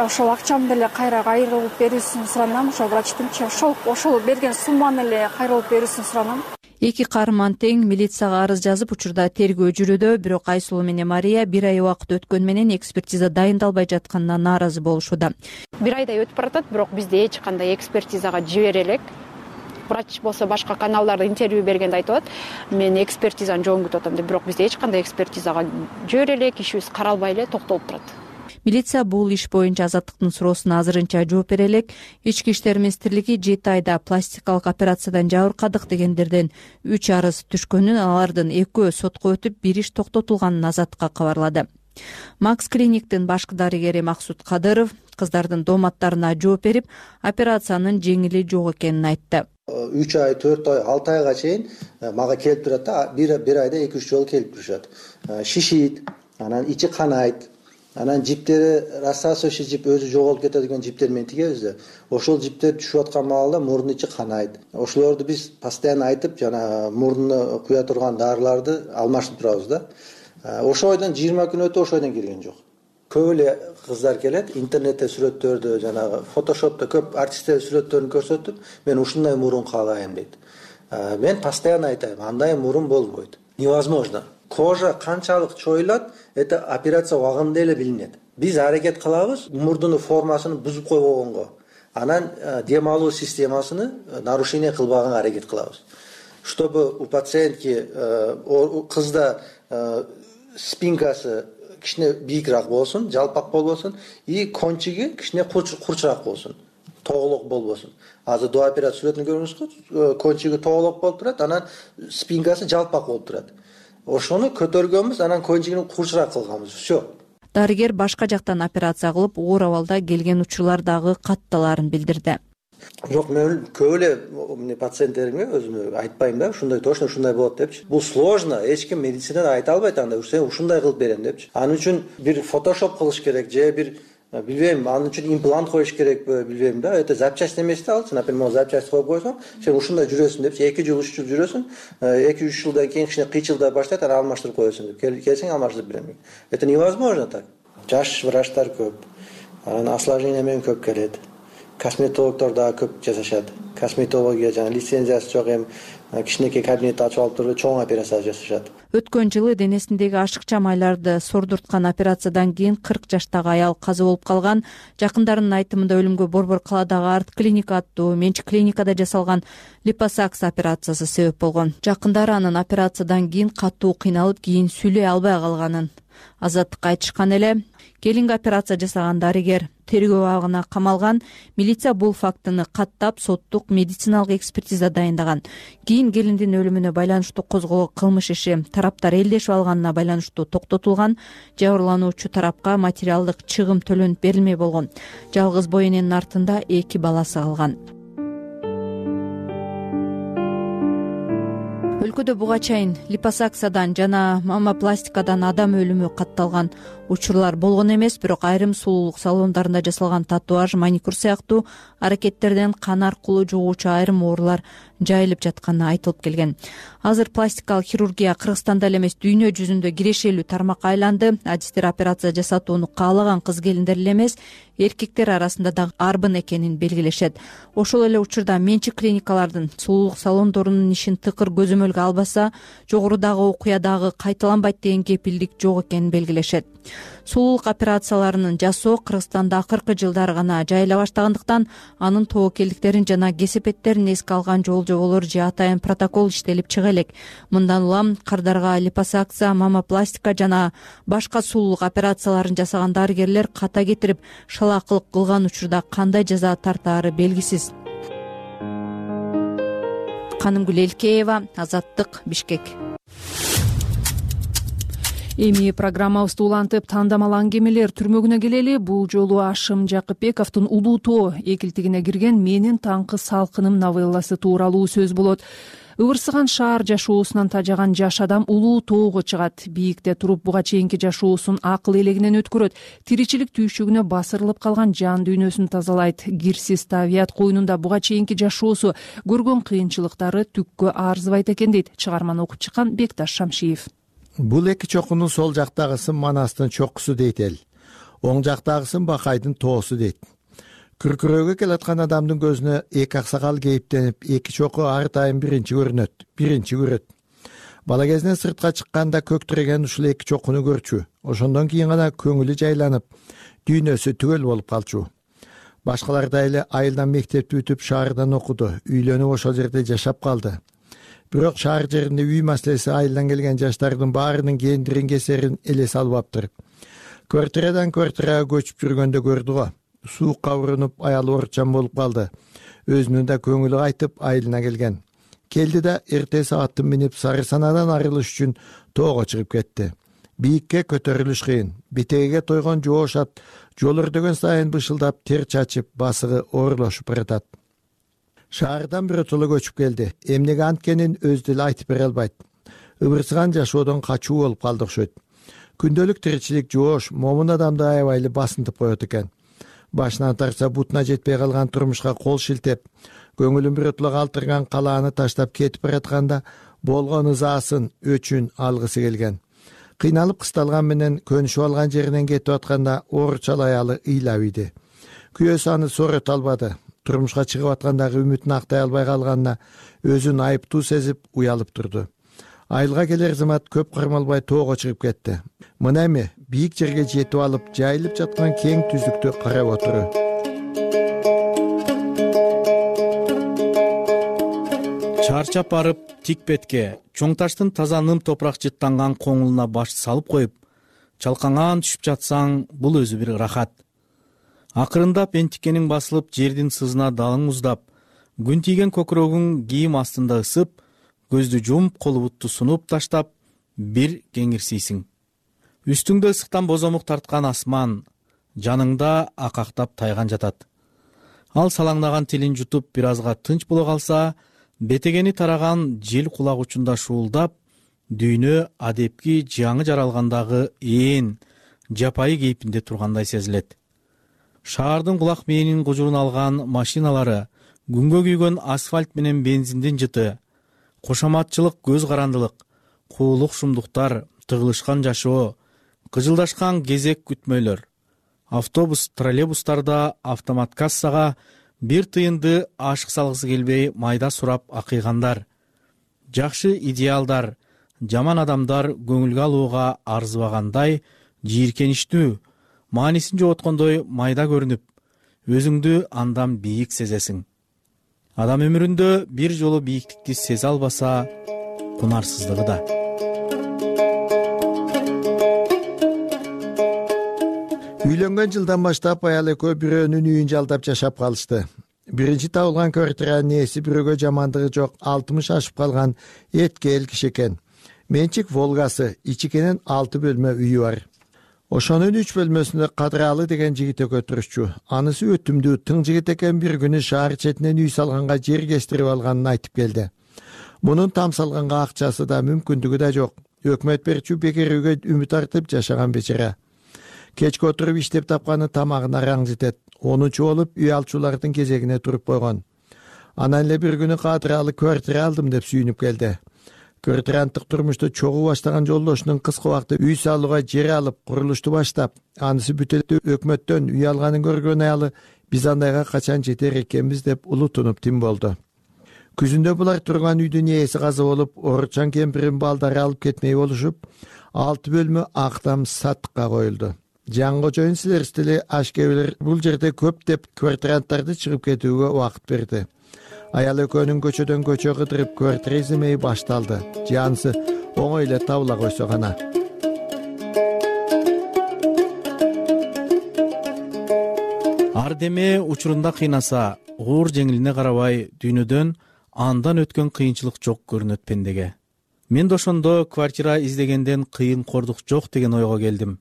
Ошол акчамды деле кайра кайрылып берүүсүн суранам, ошо врачтынчы. Ошол берген сумманы эле кайрылып берүүсүн суранам. Эки каарман тең милицияга арыз жазып, учурда тергөө жүрүүдө, бирок Айсулуу менен Мария 1 ай убакыт өткөн менен экспертиза дайындалбай жатканына нааразы болушууда. 1 айдай өтүп баратат, бирок бизде эч кандай экспертизага жибере элек. Врач болсо башка каналдарда интервью бергенде айтып атат, мен экспертизаны жоон күтүп атам деп, бирок бизде эч кандай экспертизага жибере элек, ишибиз каралбай эле токтолуп турат. Милиция бул иш боюнча Азаттыктын суроосуна азырынча жооп бере элек. Ички иштер министрлиги 7 айда пластикалык операциядан жабыркадык дегендерден 3 арыз түшкөнүн, алардын 2 сотко өтүп, 1 иш токтотулганын Азаттыкка кабарлады. Макс клиниктин башкы дарыгери Максут Кадыров кыздардын дооматтарына жооп берип, операциянын жеңили жок экенин айтты. 3 ай, 4 ай, 6 айга чейин мага келип турат да, бир айда 2-3 жолу келип турушат. Шишит, анан ичи канайт. Анан жиптери рассасывающий жип өзү жоголуп кетет жиптер менен тигебиз да. Ошол жиптер түшүп аткан маалда мурдун ичи канайт. Ошолорду биз постоянно айтып, жана мурдуна куя турган дарыларды алмаштырып турабыз да. Ошол айдан 20 күн өтүп ошол айдан келген жок. көп эле кыздар келет, интернетте сүрөттөрдү, жанагы фотошопто көп артисттердин сүрөттөрүн көрсөтүп, мен ушундай мурун каалайм дейт. Мен постоянно айтайм, андай мурун болбойт. Невозможно. Кожа канчалык чоюлат, это операция убагында эле билинет. Биз аракет кылабыз мурдунун формасын бузуп койбогонго. Анан дем алуу системасыны нарушение кылбаганга аракет кылабыз. Чтобы у пациентки кызда спинкасы кичине бийикирээк болсун, жалпак болбосун и кончиги кичине курчураак болсун, тоголок болбосун. Азыр до операция сүрөтүн көрүңүзгү, кончиги тоголок болуп турат, анан спинкасы жалпак болуп турат. Ошону көтөргөнбүз, анан кончигин курчураак кылганбыз. Все. Дарыгер башка жактан операция кылып, оор абалда келген учурлардагы катталарын билдирди. Жок, мен көп эле пациенттеримге өзүмө айтпайм да, ушундай точно ушундай болот депчи. Бул сложно, эч ким медицинада айта албайт анда, сен ушундай кылып берем депчи. Анын үчүн бир фотошоп кылыш керек, же бир билбейм, анын үчүн имплант коюш керекпи, билбейм да. Это запчасть эмес да, алчы, например, могу запчасть коюп койсоң, сен ушундай жүрөсүң депчи, 2 жыл 3 жыл жүрөсүң, 2-3 жылдан кийин кичине кыйчылдай баштайт, анан алмаштырып коесуң деп. Келсең алмаштырып берем. Это невозможно так. Жаш врачтар көп. Анан осложнение менен көп келет. Косметологдор да көп жасашат. Косметология жана лицензиясы жок, эми кичинекей кабинет ачып алып туруп чоң операция жасашат. Өткөн жылы денесиндеги ашыкча майларды сордурткан операциядан кийин 40 жаштагы аял каза болуп калган. Жакындарынын айтымында өлүмгө Борбор калаадагы арт клиника аттуу менчик клиникада жасалган липосакс операциясы себеп болгон. Жакындары анын операциядан кийин катуу кыйналып, кийин сүйлөй албай калганын Азаттыкка айтышкан эле. Келинге операция жасаган дарыгер тергөө абагына камалган. Милиция бул фактыны каттап, соттук медициналык экспертиза дайындаган. Кийин келиндин өлүмүнө байланыштуу козголгон кылмыш иши тараптар элдешип алганына байланыштуу токтотулган. Жабырлануучу тарапка материалдык чыгым төлөнүп берилмей болгон. Жалгыз бой эненин артында 2 баласы калган. Өлкөдө буга чейин липосаксиядан жана мамопластикадан адам өлүмү катталган учурлар болгон эмес, бирок айрым сулуулук салондарында жасалган татуаж, маникюр сыяктуу аракеттерден кан аркылуу жугуучу айрым оорулар жайылып жатканы айтылып келген. Азыр пластикалык хирургия Кыргызстанда эле эмес, дүйнө жүзүндө кирешелүү тармакка айланды. Адистер операция жасатууну каалаган кыз-келиндер эле эмес, эркектер арасында да арбын экенин белгилешет. Ошол эле учурда менчик клиникалардын сулуулук салондорунун ишин тыкыр көзөмөлгө албаса, жогорудагы окуя кайталанбайт деген кепилдик жок экенин белгилешет. Сулуулук операцияларынын жасоо Кыргызстанда акыркы жылдары гана жайыла баштагандыктан, анын тобокелдиктерин жана кесепеттерин эске алган жол-жоболор же атайын протокол иштелип чыга элек. Мындан улам кардарга липосакция, мамопластика жана башка сулуулук операцияларын жасаган дарыгерлер ката кетирип шалаакылык кылган учурда кандай жаза тартаары белгисиз. Канымгүл Элкеева, Азаттык, Бишкек. Эми программабызды улантып, тандамал аңгемелер түрмөгүнө келели. Бул жолу Ашым Жакыпбековдун Улуу тоо экилтигине кирген Менин таңкы салкыным новелласы тууралуу сөз болот. Ыбырсыган шаар жашоосунан тажаган жаш адам улуу тоого чыгат. Бийикте туруп буга чейинки жашоосун акыл элегинен өткөрөт. Тиричилик түйшүгүнө басырылып калган жан дүйнөсүн тазалайт. Кирсиз табият коюнунда буга чейинки жашоосу көргөн кыйынчылыктары түккө арзыбайт экен дейт чыгарманы окуп чыккан Бекташ Шамшиев. Бул эки чокунун сол жактагысын Манастын чокусу дейт эл. Оң жактагысын Бакайдын тоосу дейт. Күркүрөөгө келаткан адамдын көзүнө эки аксакал кейиптенип, эки чоку ар дайым биринчи көрөт. Бала кезинен сыртка чыкканда көктүрөгөн ушул эки чокуну көрчү. Ошондон кийин гана көңүлү жайланып, дүйнөсү түгөл болуп калчу. Башкалардай эле айылдан мектепти бүтүп, шаардан окуду, үйлөнүп ошол жерде жашап калды. Бирок шаар жеринде үй маселеси айылдан келген жаштардын баарынын кендирин кесерин эле салбаптыр. Квартирадан квартирага көчүп жүргөндө көрдү го. Суукка урунуп, аялы оорчан болуп калды. Өзүнүн да көңүлү кайтып, айылына келген. Келди да эртеси атын минип Сары Санадан арылыш үчүн тоого чыгып кетти. Бийикке көтөрүлүш кыйын. Битегеге тойгон жоош ат жол өрдөгөн сайын бышылдап, тер чачып, басыгы оорулошуп баратат. Шаардан биротоло көчүп келди. Эмнеге анткенин өзү деле айтып бере албайт. Ыбырсыган жашоодон качуу болуп калды окшойт. Күндөлүк тиричилик жоош, момун адамды аябай эле басынтып коет экен. Башынан тарса бутуна жетпей калган турмушка кол шилтеп, көңүлүн биротоло калтырган калааны таштап кетип баратканда болгон ызаасын, өчүн алгысы келген. кыйналып кысталган менен көнүшүп алган жеринен кетип атканда ооручал аялы ыйлап ийди. Күйөөсү аны соорото албады. Турмушка чыгып аткандагы үмүтүн актай албай калганына өзүн айыптуу сезип уялып турду. Айылга келер замат көп кармалбай тоого чыгып кетти. Мына эми бийик жерге жетип алып, жайылып жаткан кең түздүктү карап отуру. Чарчап барып тик бетке чоң таштын таза ным топурак жыттанган коңулуна баш салып коюп, чалкаңан түшүп жатсаң, бул өзү бир рахат. Акырындап энтиккениң басылып, жердин сызына далың уздап, күн тийген көкүрөгүң кийим астында ысып, көздү жумуп, колу бутту сунуп таштап, бир кеңирсийсиң. Үстүңдө ысыктан бозомук тарткан асман, жаныңда акактап тайган жатат. Ал салаңдаган тилин жутуп бир азга тынч боло калса, бетегени тараган жел кулак учунда шуулдап, дүйнө адепки жаңы жаралгандагы жапайы кейпинде тургандай сезилет. Шаардын кулак мээнин кужурун алган машиналары, күнгө күйгөн асфальт менен бензиндин жыты, кошоматчылык көз карандылык, куулук шумдуктар, тыгылышкан жашоо, кыжылдашкан кезек күтмөйлөр. Автобус, троллейбустарда автомат кассага бир тыйынды ашык салгысы келбей майда сурап акыйгандар. Жакшы идеалдар, жаман адамдар көңүлгө алууга арзыбагандай, жийиркеничтүү, маанисин жоготкондой майда көрүнүп, өзүңдү андан бийик сезесиң. Адам өмүрүндө бир жолу бийиктикти сезе албаса, кунарсыздыгы да. Үйлөнгөн жылдан баштап аял экөө бирөөнүн үйүн жалдап жашап калышты. Биринчи табылган квартиранын ээси бирөөгө жамандыгы жок 60 ашып калган эткел киши экен. Менчик Волгасы, ичикенен 6 бөлмө үйү бар. Ошонун 3 бөлмөсүндө Кадыралы деген жигит экөө турушчу. Анысы өтүмдүү, тың жигит экен, бир күнү шаар четинен үй салганга жер кестирип алганын айтып келди. Мунун там салганга акчасы да, мүмкүндүгү да жок. Өкмөт берчү бекер үйгө үмүт артып жашаган бечара. Кечке отуруп иштеп тапканы тамагына раң жетет. 10-чу болуп үй алчулардын кезегине туруп койгон. Анан эле бир күнү Кадыралы квартира алдым деп сүйүнүп келди. Квартиранттык турмушту чогуу баштаган жолдошунун кыска убакта үй салууга жер алып, курулушту баштап, анысы бүтөт өкмөттөн үй алганын көргөн аялы биз андайга качан жетер экенбиз деп улутунуп тим болду. Күзүндө булар турган үйдүн ээси каза болуп, ооручан кемпирин балдары алып кетмей болушуп, 6 бөлмө актам сатыкка коюлду. Жан кожоюн силерстили ашкебилер бул жерде көп деп квартиранттарды чыгып кетүүгө убакыт берди. Аял экөөнүн көчөдөн көчө кыдырып квартира иземеyi башталды. Жанысы оңой эле табыла койсо гана. Ардеме учурунда кыйнаса, оор жеңилине карабай, дүйнөдөн андан өткөн кыйынчылык жок көрүнөт пендеге. Мен да ошондо квартира издегенден кыйын кордук жок деген ойго келдим.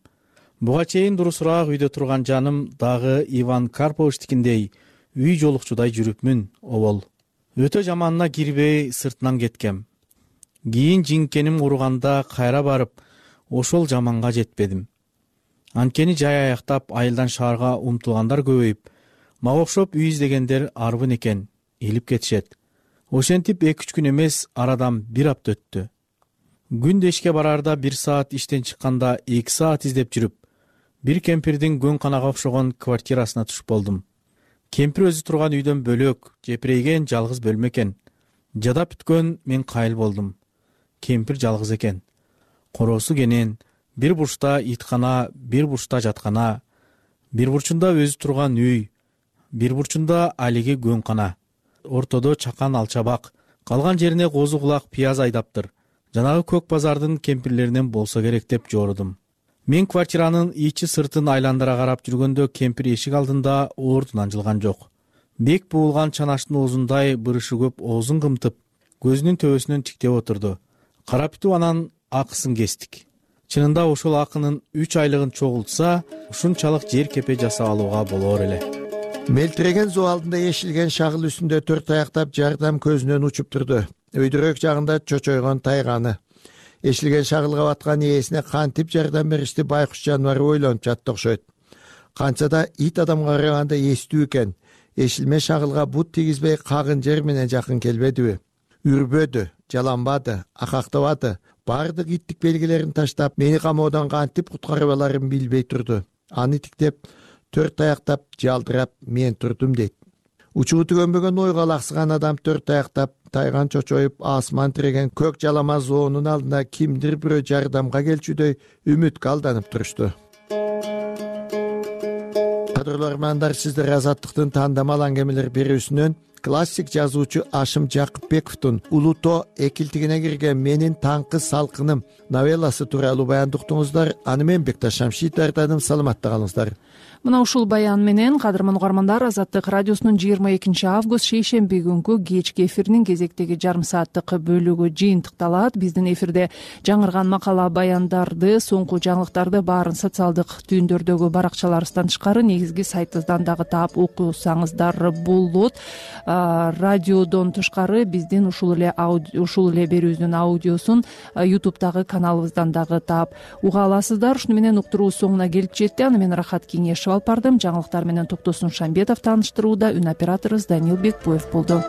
Буга чейин дурусураак үйдө турган жаным дагы Иван Карповичтикиндей үй жолукчудай жүрүпмүн, обол. Өтө жаманына кирбей сыртынан кеткем. Кийин жиңкеним уруганда кайра барып, ошол жаманга жетпедим. Анткени жай аяктап айылдан шаарга умтулгандар көбөйүп, мага окшоп үй издегендер арбын экен, илип кетишет. Ошентип 2-3 күн эмес, арадан 1 апта өттү. Күндө ишке барарда 1 саат, иштен чыкканда 2 саат издеп жүрүп, бир кемпирдин көң канага окшогон квартирасына түшүп болдум. Кемпир өзү турган үйдөн бөлөк, жепирейген жалгыз бөлмө экен. Жадап бүткөн мен кайыл болдум. Кемпир жалгыз экен. Короосу кенен, бир бурчта иткана, бир бурчта жаткана, бир бурчунда өзү турган үй, бир бурчунда алиги көң кана. Ортодо чакан алчабак, калган жерине козу кулак пияз айдаптыр. Жанагы көк базардын кемпирлеринен болсо керек деп жорудум. Мен квартиранын ичи сыртын айландыра карап жүргөндө кемпир эшик алдында ордунан жылган жок. Бек буулган чанаштын оозундай бырышы көп оозун кымтып, көзүнүн төбөсүнөн тиктеп отурду. Карап бүтүп анан акысын кестик. Чынында ошол акынын 3 айлыгын чогултса, ушунчалык жер кепе жасап алууга болор эле. Мелтиреген суу алдында ешилген шагыл үстүндө 4 аяктап жардам көзүнөн учуп турду. Өйдүрөк жагында чочойгон тайганы. Эшилген шагылга баткан ээсине кантип жардам беришти байкуш жаныбар ойлонуп жатты окшойт. Канча да ит адамга караганда эстүү экен. Эшилме шагылга бут тийгизбей кагын жер менен жакын келбедиби? Үрбөдү, жаланбады, акактабады, баардык иттик белгилерин таштап, мени камоодан кантип куткарып аларын билбей турду. Аны тиктеп, 4 таяктап, жалдырап мен турдум дейт. Учугу түгөнбөгөн ойго алаксыган адам 4 таяктап, тайган чочоюп, асман тиреген көк жалама зоонун алдына кимдир бирөө жардамга келчүдөй үмүткө алданып турушту. Кадырлуу армандар, сиздер Азаттыктын тандамал аңгемелер берүүсүнөн классик жазуучу Ашым Жакыпбековдун Улуто экилтигине кирген менин таңкы салкыным новелласы тууралуу баяндуктуңуздар. Аны мен Бекташ Шамшит даярдадым. Саламатта калыңыздар. Мына ушул баян менен кадырман угармандар, Азаттык радиосунун 22 август шейшемби күнкү кечки эфиринин кезектеги жарым сааттык бөлүгү жыйынтыкталат. Биздин эфирде жаңырган макала, баяндарды, соңку жаңылыктарды баарын социалдык түйүндөрдөгү баракчаларыбыздан тышкары негизги сайтыбыздан дагы таап окусаңыздар болот. Радиодон тышкары биздин ушул эле берүүбүздүн аудиосун YouTube'дагы каналыбыздан дагы таап уга аласыздар. Ушуну менен уктуруу соңуна келип жетти. Аны мен Рахат Кеңешев алып бардым. Жаңылыктар менен Токтосун Шамбетов тааныштырууда, үн операторубуз Данил Бекбоев болду.